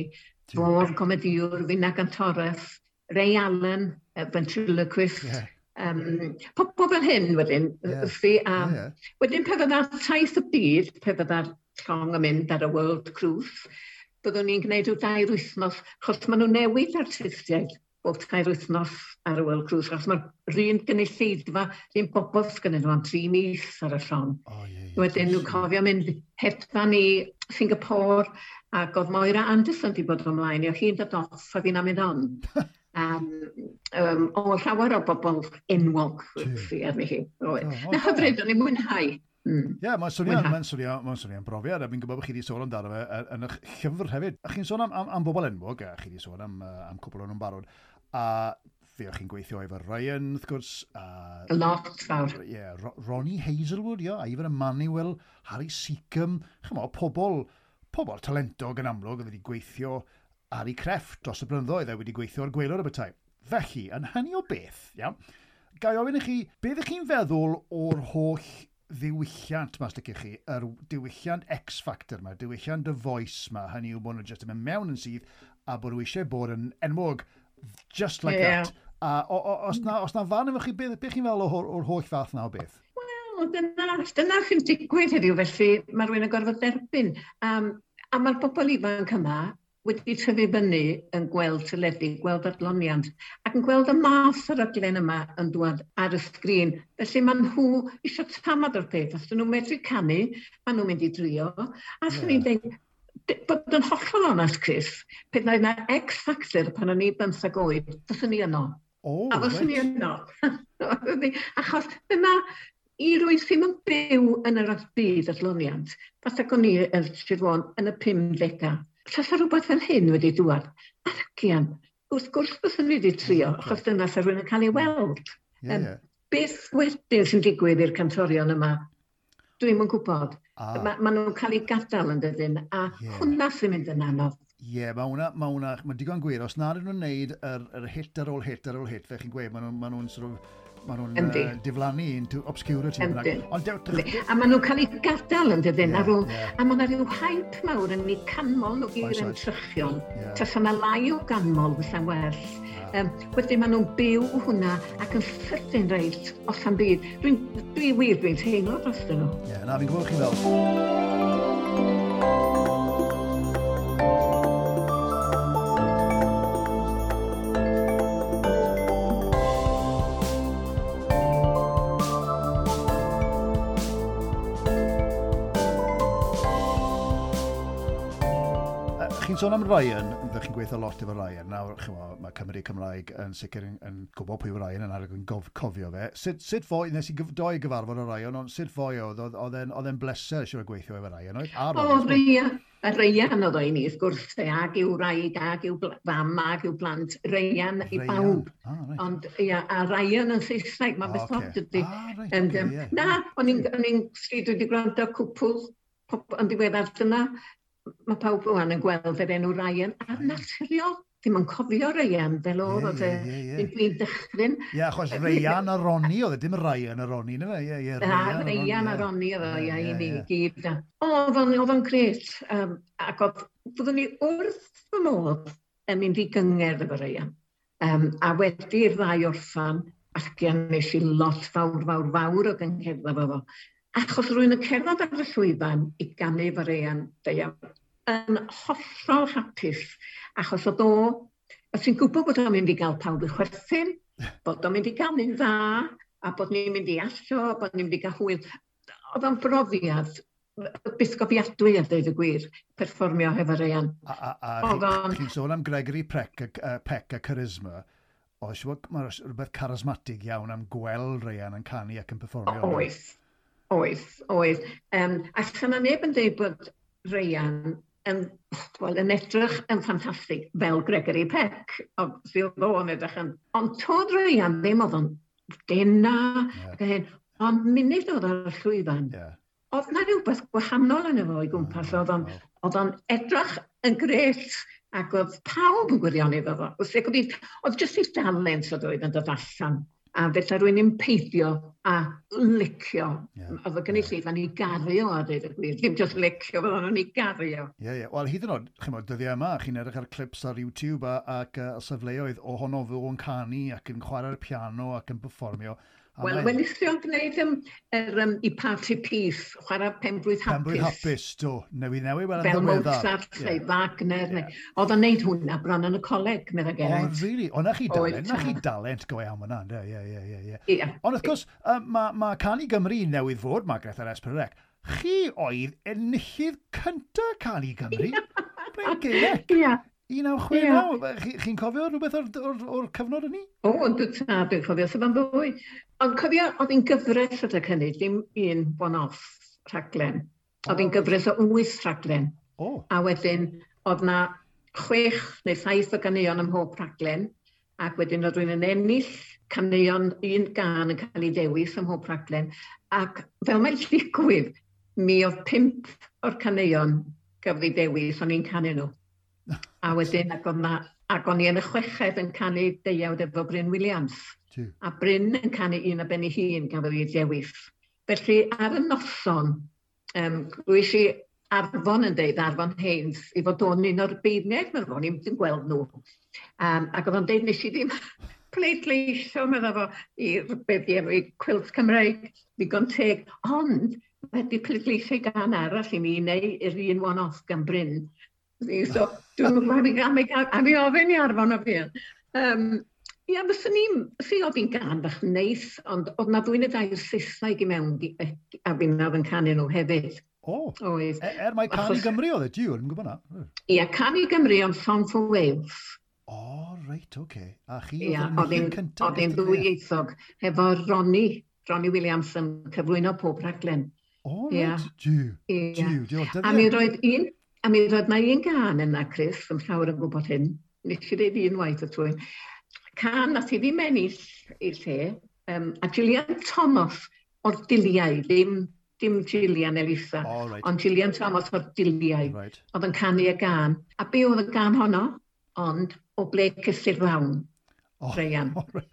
fo'r comediwr, finna gantores, Ray Allen, ventriloquist, pobl fel hyn wedyn, fi, a wedyn pe fydda taith y byd, pe fydda'r llong yn mynd ar y World Cruise, byddwn ni'n gwneud rhyw 2 wythnos, achos maen nhw'n newid artistiaid bob 3 wythnos ar y World Cruise, achos mae'r un gynulleidfa, yr un bobl sgynnyn nhw am 3 mis ar y llong. O, ie, ie. Wedyn nhw'n cofio mynd hedfan i Singapore, ac oedd Moira Anderson wedi bod ymlaen, i oedd hi'n dod off a fi'n mynd on. O llawer o bobl enwog sy arni hi. Oedd. O, Na da. hyfryd, o'n i'n mwynhau. Ie, mae'n swnio, Mwynhau. mae'n swnio'n brofiad, a fi'n gwybod bod chi wedi sôn amdano fe yn eich llyfr hefyd. A chi'n sôn am bobl enwog, a chi wedi sôn am cwpl o'n nhw'n barod, a fe o'ch chi'n gweithio efo Ryan, wrth gwrs, a Lot fawr. Ie, yeah, Ronnie Hazelwood, ie, Ivor Emmanuel, Harry Seacombe, chymod, pobl talentog yn amlwg oedd wedi gweithio ar ei crefft dros y blynyddoedd a wedi gweithio ar gwaelod y bethau. Felly, yn hynny o beth, iawn, ga i ofyn i chi, beth ych chi'n feddwl o'r holl ddiwylliant 'ma, os licech chi, yr diwylliant X Factor 'ma, diwylliant The Voice 'ma, hynny yw bod nhw jyst yn mynd mewn yn syth a bod nhw eisiau bod yn enwog just like that. A os na farn efo chi, beth chi'n feddwl o'r holl fath na o beth? Wel, dyna sy'n digwydd heddiw, felly mae rhywun yn gorfod derbyn. A mae'r bobl ifanc yma wedi tyfu fyny yn gweld teledu, gweld adloniant, ac yn gweld y math o raglen yma yn dŵad ar y sgrin. Felly maen nhw eisiau tamad o'r peth. Os dyn nhw'n medru canu, maen nhw'n mynd i drio. A swn i'n dweud, bod yn hollol onest, Chris, pe na yna X Factor pan o'n i 15 oed, fyswn i yno. A fyswn i yno. Achos dyna, i rywun sydd yn byw yn yr byd adloniant, fatha o'n i yn Sir Fôn yn y 50au, tasa rhywbeth fel hyn wedi dŵad, agian, wrth gwrs fyswn i wedi trio, achos dyna sa rhywun yn cael ei weld. Beth wedyn sy'n digwydd i'r cantorion yma, dwi'm yn gwybod. Ma nhw'n cael eu gadael yn dydyn, a hwnna sy'n mynd yn anodd. Ie, yeah, mae hwnna, ma hwnna, mae digon gwir. Os nad ydyn nhw'n neud yr hit ar ôl hit ar ôl hit, fe chi'n gweud, ma nhw'n sort of, ma nhw'n diflannu into obscurity. Ond A maen nhw'n cael eu gadael yn dydyn, a mae yna rhyw hype mawr yn eu canmol nhw i'r entrychion. Tasa yna lai o ganmol fysa'n well. Wedyn maen nhw'n byw hwnna ac yn sydyn reit, os am byd. Dwi wir, dwi'n teimlo dros nhw. Ie, yeah, na, fi'n gwybod chi fel. Chi'n sôn am Ryan, ydych chi'n gweithio lot efo Ryan. Nawr, chymod, mae Cymru Cymraeg yn sicr yn gwybod pwy yw Ryan yn arag yn cofio fe. Sut foi, nes i doi gyfarfod o Ryan, ond sut foi oedd, oedd e'n bleser siwr o gweithio efo Ryan, oedd? A O, Ryan, a Ryan oedd o i ni, wrth gwrs, ag i'w wraig, ag i'w fam, ag i'w blant, Ryan i bawb. Ah, right. Ond, ia, a Ryan yn Saesneg, mae'n beth od ydy. Ah, right, okay, yeah. Na, o'n i'n, dwi wedi gwrando cwpl yn ddiweddar dyna, mae pawb rwan yn gweld yr enw Ryan, a naturiol, ddim yn cofio Ryan fel oedd e, dwi'n dychryn. Ie, achos Ryan a Ronnie oedd e, dim Ryan a Ronnie, na fe? Ie, ie, Ryan a Ronnie oedd o, ie, i ni gyd. Oedd o'n grêt, ac oedd, byddwn ni wrth fy modd yn mynd i gyngerdd efo Ryan. A wedi'r ddau orffan, allan nes i lot fawr, fawr, fawr o gyngherddau efo fo. Achos rwy'n yn cerdded ar y llwyfan i ganu efo Ryan, deuan, yn hollol hapus, achos oedd o, a ti'n gwybod bod o'n mynd i gael pawb i chwerthin, bod o'n mynd i ganu'n dda, a bod ni'n mynd i asio, bod ni'n mynd i gael hwyl. Oedd o'n brofiad bythgofiadwy a dweud y gwir, perfformio hefo Ryan. A chi'n sôn am Gregory Peck a charisma, oes, mae rhywbeth charismatig iawn am gweld Ryan yn canu ac yn perfformio. Oes, oes, oes. A sy'n neb yn dweud bod Ryan yn, well, yn edrych yn ffantastig fel Gregory Peck. Obviously oedd o'n edrych yn... Ond toedd Ryan ddim oedd o'n dena, ac hyn. Ond munud oedd ar y llwyfan, oedd na rhywbeth gwahanol yn efo o'i gwmpas. Oedd o'n edrych yn grêt ac oedd pawb yn gwirioni efo fo. Oedd jyst ei dalent oedd oedd yn dod allan. A felly rwy'n yn peidio a licio. Oedd y gynulleidfa'n ei garu o a dweud y gwir. Ddim jyst licio, fydden nhw'n ei garu o. Ie, ie. Wel, hyd yn oed, chimod, dyddiau yma, chi'n edrych ar clips ar YouTube ac safleoedd ohono fo yn canu ac yn chwarae'r piano ac yn perfformio. A Wel, welis i o'n gwneud i party piece, chwarae Penblwydd Hapus. Penblwydd Hapus, do. Newydd wel yn Fel ddiweddar. Mozart neu Wagner. Neu... Oedd o'n neud hwnna bron yn y coleg, medda O, Geraint. really? O, na chi Oedd, dalent, na chi tad. dalent go iawn yna, yndê? Ie. Ie. Ond wrth gwrs, ma Cân i Gymru newydd fod, Margaret ar S4C. Chi oedd enillydd cynta Cân i Gymru. Ble'n geirec. 1969. Chi'n cofio rhywbeth o'r cyfnod hynny? O, ond dwi'n tad, dwi'n cofio, sef am fwy. Ond cofio, oedd hi'n gyfres adeg hynny, dim un one-off rhaglen. Oedd hi'n gyfres o wyth rhaglen. A wedyn, oedd na 6 neu 7 o ganeuon ym mhob rhaglen. Ac wedyn oedd rhywun yn ennill caneuon, un gân yn cael ei dewis ym mhob rhaglen. Ac fel mae'n digwydd, mi oedd pump o'r caneuon gafodd ei dewis, o'n i'n canu nhw. A wedyn, ac o'n ac o'n i yn y chweched yn canu deuawd efo Bryn Williams. A Bryn yn canu un o ben ei hun gafodd ei dewis. Felly ar y noson, glywys i Arfon yn deud, Arfon Haynes, i fod o'n un o'r beirniaid, meddwl, o'n i'n gweld nhw. Ac oedd o'n deud, nes i ddim pleidleisio, meddwl fo, i beth di enw i Cwilt Cymreig, ddigon teg, ond wedi pleidleisio i gan arall i mi, neu i'r un one-off gan Bryn. So, dwi'n gwybod am, am, i ofyn i Arfon o fi. Ia, fyswn i'n, si oedd hi'n gan bach neis, ond oedd na ddwy neu dair Saesneg i mewn a fi'n oedd yn canu nhw hefyd. O, oedd. Er mai Cân i Gymru oedd e, diw, yn gwybod na. Ia, Cân i Gymru, ond Song for Wales. O, reit, oce. Okay. A chi oedd yn cyntaf? Oedd hi'n ddwyieithog, efo Ronnie Williams yn cyflwyno pob rhaglen. O, reit, diw, diw, diw. A mi roedd un, a mi roedd na un gan yna, Chris, yn llawer yn gwybod hyn. Nes i ddeud un waith y trwy. Can nath i ddim ennill i'r lle, a Gillian Thomas o'r Diliau, ddim Gillian Elisa, oh, right. Ond Gillian Thomas o'r Diliau, right. Oedd yn canu y gan. A be oedd y gan honno? Ond o ble cysur lawn, oh, Ryan. Oh, right.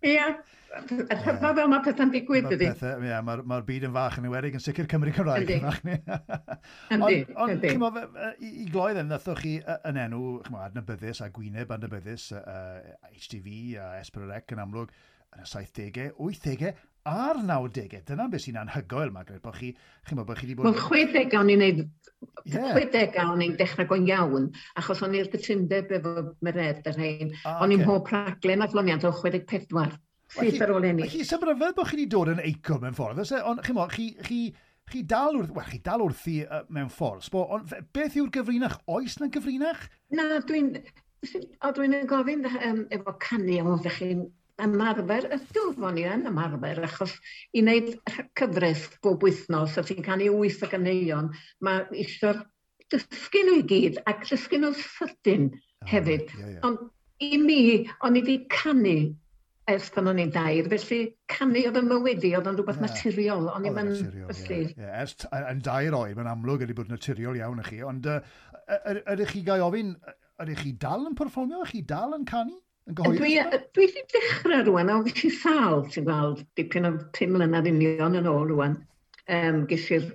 Ia, yeah. Fel mae pethau'n digwydd, ydy. Ie, mae'r ma byd yn fach yn enwedig yn sicr Cymru Cymraeg. Yndi. Yndi. Ond, chimo, i gloi ddim, nathoch chi yn enw, chimo, adnabyddus a gwyneb adnabyddus, HTV a S4C yn amlwg, yn y 70au, 80au a'r 90au. Dyna beth sy'n anhygoel, Margaret, bod chi, chimo, bod chi wedi bod... Wel, 60au o'n i'n neud... Yeah. 60au o'n i'n dechrau go'n iawn, achos o'n i'r gytundeb efo Mered yr hein. O'n i'n mhob rhaglen adloniant o 64. Syth ar ôl ennill. Chi, sy'n rhyfedd bod chi wedi dod yn eicon mewn ffordd, ond chimo, chi dal wrth, well, chi dal wrthi mewn ffordd, sbo, ond beth yw'r gyfrinach? Oes na gyfrinach? Na, dwi'n gofyn efo canu, o, ddech chi'n ymarfer, ydw, fo'n i yn ymarfer, achos i wneud cyfres bob wythnos, a ti'n canu 8 o ganeuon, mae eisiau'r dysgu nhw i gyd, ac dysgu nhw'n sydyn hefyd. Yeah, yeah. Ond i mi, o'n i wedi canu ers pan o'n i'n 2, felly canu oedd yn mywyd i, oedd o'n rhywbeth naturiol. O'n i'n felly. Ers yn 2 oed, mae'n amlwg wedi bod naturiol iawn i chi, ond ydych chi gael ofyn, ydych chi dal yn perfformio, ydych chi dal yn canu? Dwi wedi dechrau rwan, a oedd i sâl, ti'n gweld, dipyn o 5 mlynedd union yn ôl rwan, ges i'r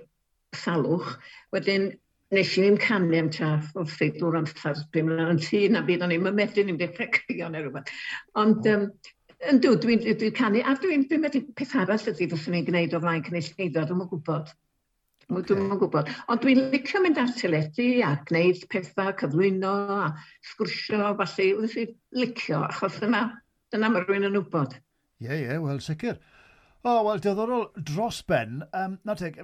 salwch. Wedyn, nes i ddim canu am tua wrth drwy'r amser, 5 mlynedd yn tŷ, na byd, o'n i'n medru ddim dechrau crio neu rhywbeth. Ond, yndw, dwi'n canu, a dwi'n meddwl peth arall ydy fyswn i'n gwneud o flaen cynulleidfa, dwi'm yn gwybod. Dwi'm yn gwybod. Ond dwi'n licio mynd ar teledu a gwneud pethau, cyflwyno a sgwrsio, falle, dwi'n licio, achos dyna mae rhywun yn wybod. Ie, ie, wel, sicr. O, wel, diddorol dros ben. Na teg,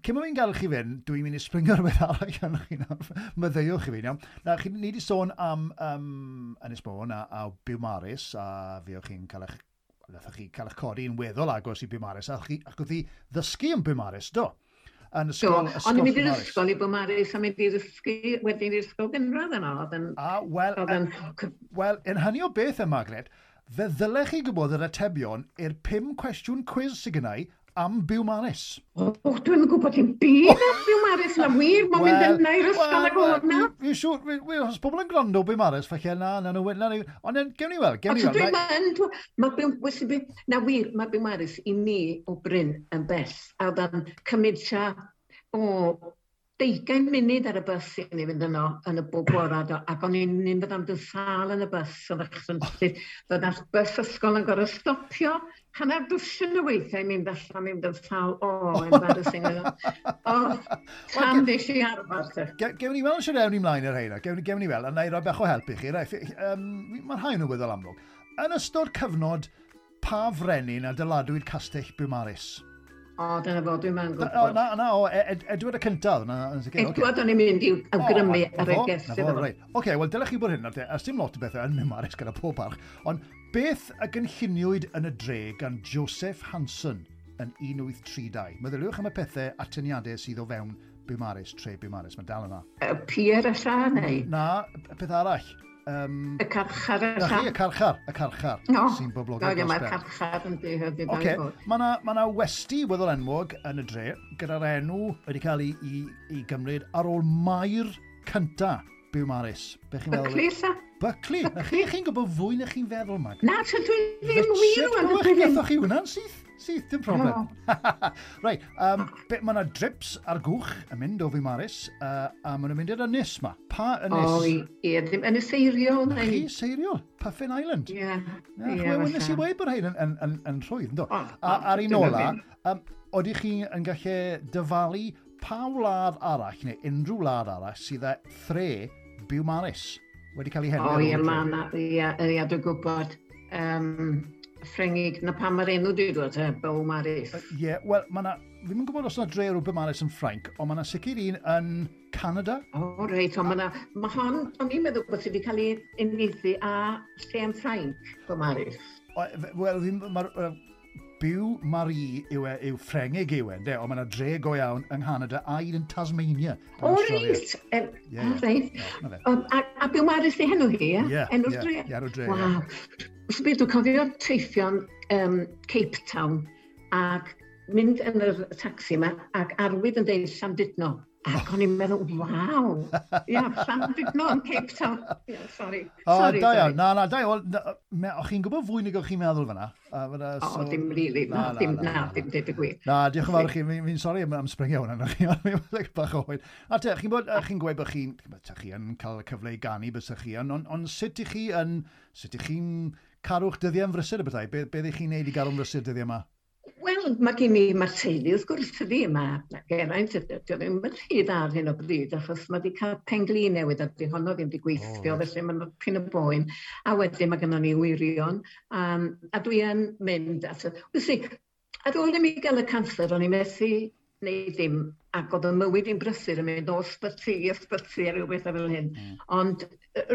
cyn bo fi'n gael chi fynd, dwi'n mynd i springo rhywbeth arall arnoch chi nawr. Maddeuwch i fi, iawn. Na, chi, ni wedi sôn am Ynys Môn a Biwmaris, a fi o'ch chi'n cael eich, nathoch chi cael eich codi yn weddol agos i Biwmaris, ac o'ch chi ddysgu yn Biwmaris, do? Yn ysgol, do, o'n i'n mynd i'r ysgol i Biwmaris a mynd i'r ddysgu wedyn i'r ysgol gynradd yno. Wel, yn hynny o beth yma, Margaret, fe ddylech chi gwybod yr atebion i'r 5 cwestiwn cwiz sydd gennau am Biwmaris. O, dwi'n gwybod dim byd am Biwmaris na wir, mae'n mynd yna i'r ysgol ag o'na. Fi'n siŵr, os pobl yn gwrando Biwmaris, falle na, ond gewn ni weld, gewn ni weld. Na wir, mae Biwmaris i mi o Bryn yn bell, a oedd o'n cymryd tua o 20 munud ar y bws i ni fynd yno yn y bob bora, ac o'n i'n mynd am dy sâl yn y bws, oedd a'r bws ysgol yn gorfod stopio hanner dwsin o weithiau mynd allan, mynd yn sâl, o, embarrassing. O, tam ddes i arfer. Gewn ni weld sy'n ewn ni mlaen ar heina, gewn ni weld, a na i roi bach o help i chi. Mae'n rhai nhw weddol amlwg. Yn ystod cyfnod, pa frenin adeiladwyd castell Biwmaris? O, dyna fo, dwi'n ma'n gwybod. Na, Edward y cyntaf. Edward o'n i'n mynd i'w awgrymu ar y gest iddo fo. Oce, wel, dylech chi bod hyn, a dim lot o bethau yn Biwmaris gyda pob parch, ond beth a gynlluniwyd yn y dre gan Joseph Hanson yn 1832? Meddyliwch am y pethau atyniadau sydd o fewn Biwmaris, tre Biwmaris, mae dal yna. Y pier alla, neu? Na, peth arall. Y carchar alla. Y carchar, sy'n boblogaidd dros ben. Mae'r carchar yn dweud. Oce, mae yna westy weddol enwog yn y dre, gyda'r enw wedi cael ei gymryd ar ôl maer cynta Biwmaris? Be chi'n feddwl? Buckley, lla. Buckley? Na chi, chi'n gwybod fwy na chi'n feddwl, Mag. Na, so dwi ddim wir rwan. Richard, gathoch chi hwnna'n syth? Syth, dim problem. Reit, mae yna drips ar gwch yn mynd o Fiwmaris, a maen nhw'n mynd i'r ynys ma. Pa ynys? O, ie, ddim ynys Seiriol. Na chi, Seiriol, Puffin Island. Ie. Ie, nes i weud bod rhain yn rhwydd, ynddo? A ar un ola, oeddech chi yn gallu dyfalu pa wlad arall, neu unrhyw wlad arall, sydd â thre Biwmaris wedi cael ei henwi? O ie, mae yna, ie, dwi'n gwybod. Ffrengig, na pam mae'r enw dwi'n dod, Biwmaris. Ie, wel, mae yna, fi'n yn gwybod os yna dre o'r Biwmaris yn Ffrainc, ond mae yna sicr un yn Canada. O, reit, ond mae yna, mae hon, o'n i'n meddwl bod sydd wedi cael ei uniaethu â lle yn Ffrainc, Biwmaris. Wel, mae'r Biwmaris yw Ffrengig yw e, ynde? Ond mae yna dre go iawn yng Nghanada a un yn Tasmania. O, reit! Reit. A Biwmaris di henw hi, ie? Ie, enw'r dre? Ie, enw'r dre. Waw. So beth, dwi'n cofio teithio'n Cape Town ac mynd yn yr taxi yma ac arwydd yn deud Llandudno. Ac o'n i'n meddwl, waw, ia, Llandudno yn Cape Town. Ia, sorry. O, da iawn, na, da iawn. O'ch chi'n gwybod fwy nag o'ch chi'n meddwl fyna? O, dim really, na, dim deud y gwir. Na, diolch yn fawr chi, fi'n sori am springio hwnna, fi'n bach o hwyl. A te, chi'n gweud bod chi'n cael y cyfle i ganu bysach chi, ond sut ych chi'n cadw'ch dyddiau yn frysur y bethau? Beth ych chi'n neud i gadw'n frysur dyddiau yma? Wel, mae gen i, mae'r teulu wrth gwrs ydi, mae Geraint, dydy o ddim yn rhy dda ar hyn o bryd, achos mae wedi cael penglin newydd a di honno ddim wedi gweithio, felly mae'n pyn y boen. A wedyn mae gennon ni wyrion, a dwi yn mynd at... Wysi, ar ôl i mi gael y canser, o'n i methu neu ddim, ac oedd y mywyd i'n brysur yn mynd o ysbyty i ysbyty a rhyw beth fel hyn. Ond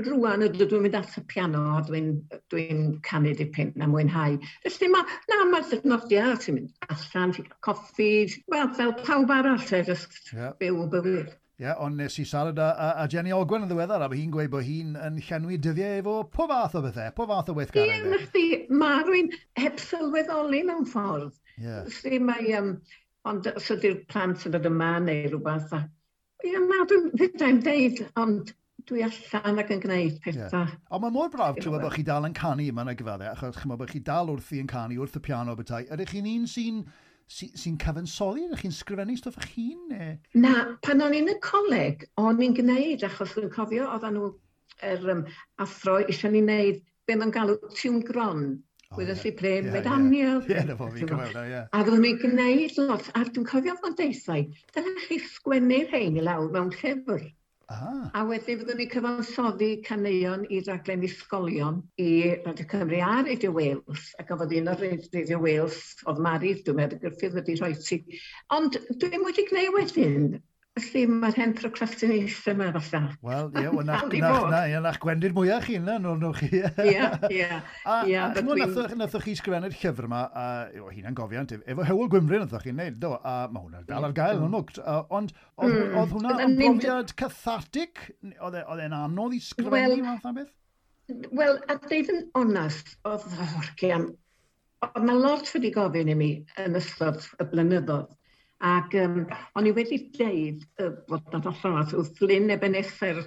rwan ydw dwi'n mynd at y piano a dwi'n canu dipyn a mwynhau. Felly mae'r dynodiad, ti'n mynd allan, ti'n cael coffi, wel, fel pawb arall, just byw bywyd. Ie, ond nes i siarad â Jenny Ogwen yn ddiweddar, a mae hi'n gweud bod hi'n yn llenwi dyddiau efo pob fath o bethau, pob fath o weithgareddau. Ie, nachdi, mae rhywun heb sylweddoli mewn ffordd. Ie. Felly mae... Ond os ydy'r plant yn dod yma neu rhywbeth, ie, na, dwi'n fedrai'm deud, ond dwi allan ac yn gwneud pethau. Yeah. Ond mae mor braf clywed bod chi dal yn canu yma yn y gyfaddau, achos chymod bod chi dal wrthi yn canu wrth y piano bethau. Ydych chi'n un sy'n cyfansoddi? Ydych chi'n sgrifennu stwff eich hun? Neu? Na, pan o'n i'n y coleg, o'n i'n gwneud, achos dwi'n cofio oedden nhw yr athro eisiau ni wneud be ma'n galw tiwn gron. Wyddoch chi ple, med Daniel. Ie, na fo fi'n cofio, ie. A oedden ni'n gwneud lot, a dwi'n cofio fo'n deithau, dylech chi sgwennu rhain i lawr mewn llyfr. A wedyn fyddwn ni cyfansoddi caneuon i raglen ysgolion i Radio Cymru a Radio Wales, ac oedd un o'r Radio Wales, oedd Mari, dwi'n meddwl, Gruffydd wedi rhoi ti. Ond dwi'n wedi gwneud wedyn, felly mae'r hen procrastination yma falle. Wel, ie, na'ch gwendid mwyaf chi yna, nôl chi. Ie, ie. A nathoch chi sgrifennu'r llyfr yma, o hunan gofiant, efo Hywel Gwynfryn nathoch chi'n neud, do, a mae hwnna'n dal ar gael yn amlwg. Ond oedd hwnna yn brofiad cathartic? Oedd e'n anodd i sgrifennu math o beth? Wel, a deud yn onast, oedd yna lot wedi gofyn i mi yn ystod y blynyddoedd. Ac o'n i wedi deud bod na allan wrth Lyn Ebenezer,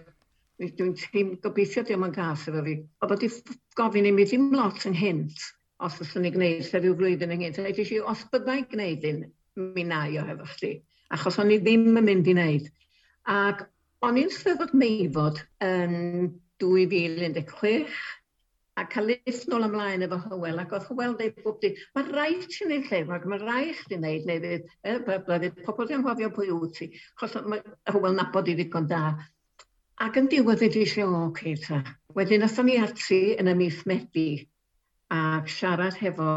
dwi'n teimlo gobeithio diolch yn gas efo fi, oedd wedi gofyn i mi ddim lot ynghynt, os fyswn i gwneud lle rhyw flwyddyn ynghynt. A dweud i, os byddai gwneud un, mi na i o hefo chdi, achos o'n i ddim yn mynd i wneud. Ac o'n i'n Steddfod Meifod yn 2016, a cael list nôl ymlaen efo Hywel, ac oedd Hywel dweud bob dydd, mae rhaid ti wneud llyfr, ac mae rhaid chdi wneud, neu fydd pobl di anghofio pwy wyt ti, achos mae Hywel nabod i ddigon da. Ac yn diwedd ydi eisiau, o, oce, ta. Wedyn athon ni ati yn y mis Medi, ac siarad hefo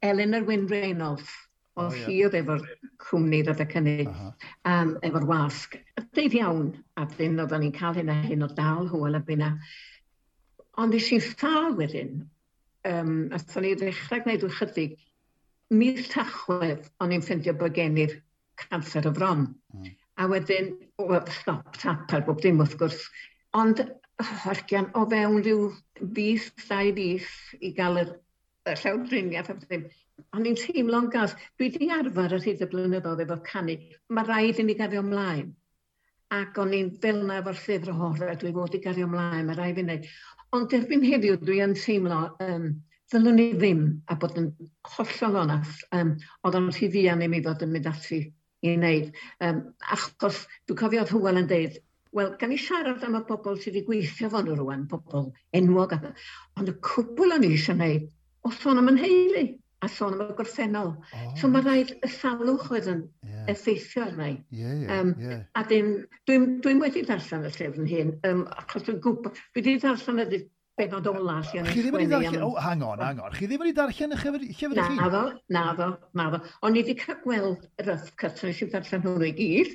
Eleanor Wyn Reynolds, oedd hi oedd efo'r cwmni rhedeg hynny, efo'r wasg. Deud iawn, a dyn oedden ni'n cael hyn a hyn o dal Hywel a bynna. Ond es i'n sâl wedyn, athon ni ddechrau gwneud ychydig, mis Tachwedd, o'n i'n ffeindio bod gen i'r canser y fron. A wedyn, stop tap ar bob dim wrth gwrs. Ond, argian, o fewn rhyw fis, 2 fis i gael y llawdriniaeth a bob dim. O'n i'n teimlo'n gas. Dwi wedi arfer ar hyd y blynyddoedd efo canu. Mae rhaid i mi gario ymlaen. Ac o'n i'n fel 'na efo'r llyfr, o, dwi fod i gario ymlaen, mae rhaid fi wneud. Ond erbyn heddiw dwi yn teimlo, ddylwn i ddim, a bod yn hollol onast, oedd o'n rhy fuan i mi fod yn mynd ati i wneud. Achos dwi'n cofio oedd Hywel yn deud, wel, gan i siarad am y bobl sydd wedi gweithio fo nhw rwan, bobl enwog, ond y cwbl o'n i eisiau wneud, o sôn am yn nheulu, a sôn am y gorffennol. Oh. So mae rhaid y salwch oedd yn effeithio arna i. A dim, dwi'n wedi darllen y llyfr yn hyn, achos dwi'n gwybod, dwi wedi darllen y benod ola lle o'n Chi ddim wedi darllen, oh, hang on, hang on, chi ddim wedi darllen y llyfr chi? Naddo, naddo, naddo. O'n i wedi cael gweld y rough cut, so nes i ddarllen hwnnw i gyd.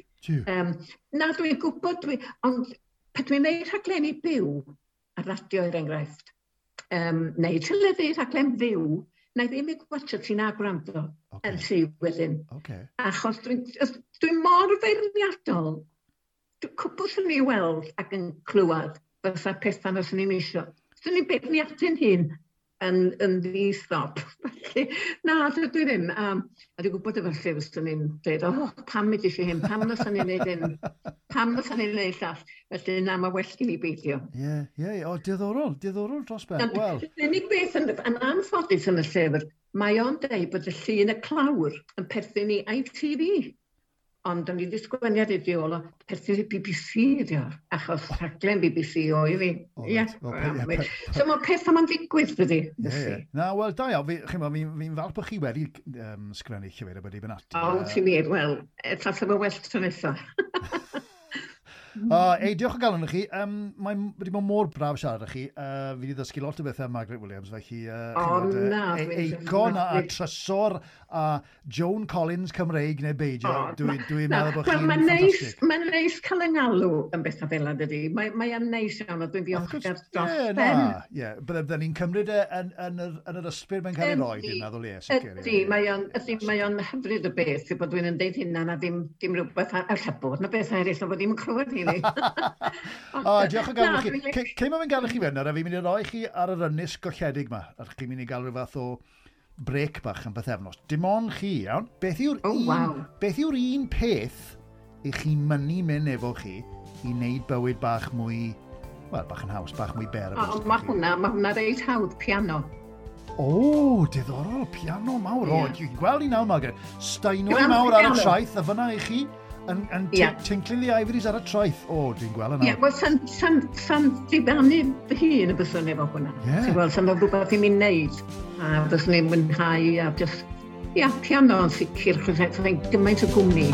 Na, dwi'n gwybod, ond pan dwi'n neud rhaglenni byw ar radio er enghraifft, neu teledu rhaglen fyw, na i ddim i gwatio ti na gwrando yn sy wedyn. Achos dwi mor feirniadol. Cwbl sy'n ni weld ac yn clywed fysa pethau na sy'n ni'n isio. Swn i'n beirniadu'n hun yn ddi-stop. Felly, na, dwi ddim. A dwi'n gwybod efo'r llyfr swn i'n dweud, oh, pam mi eisiau hyn, pam na swn i'n neud hyn, pam na swn i'n neud llall. Felly, na, mae well gen i beidio. Ie, ie, o, diddorol, diddorol dros ben. Wel. Yr unig beth yn anffodus yn y llyfr, mae o'n deud bod y llun y clawr yn perthyn i ITV. Ond o'n i wedi sgwennu ar ei ôl o perthyn i BBC ydi o, achos rhaglen BBC oedd hi. Ie. So mae pethau ma'n digwydd, dydy. Ie. Na, wel, da iawn, fi'n falch bod chi wedi sgrennu llyfr a wedi mynd ati. O, ti'n wir, wel, tasa fo well tro nesaf. Ei, diolch o galon i chi. Mae'n wedi bod mor braf siarad â chi. Fi wedi ddysgu lot o bethau am Margaret Williams, felly... Eicon a trysor a Joan Collins Cymreig neu beidio. Dwi'n meddwl bod chi'n ffantastig. Mae'n neis cael yng ngalw yn bethau fel yna, dydy. Mae'n neis iawn a dwi'n ddiolchgar dros ben. Ie, bydden ni'n cymryd e yn yr ysbryd mae'n cael ei roi, dwi'n meddwl, ie, sicr. Ydy, mae o'n hyfryd o beth, bod dwi'n yn deud hynna na ddim rhywbeth alla bod na beth eraill, ond bod ddim yn clywed hynny. O, diolch o galon chi. Cyn ma fi'n gael chi fynd, a fi'n mynd i roi chi ar yr ynys golledig ma, a chi'n mynd i gael rhyw fath o brec bach yn bythefnos. Dim ond chi, iawn. Beth yw'r un peth i chi mynnu mynd efo chi i wneud bywyd bach mwy, wel, bach yn haws, bach mwy ber? Mae hwnna reit hawdd, piano. O, diddorol, piano mawr. O, dwi'n gweld i nawr, Margaret. Steinway mawr ar y traeth, a fyna i chi. Yn tinkling the ivories ar y traeth. O, dwi'n gweld yna. Ie, wel, sa'n diflannu fy hun y byswn efo hwnna. Ti'n gweld, sa'n rhywbeth i mi wneud. A byswn i'n mwynhau a just, ia, piano yn sicr, chos gymaint o gwmni.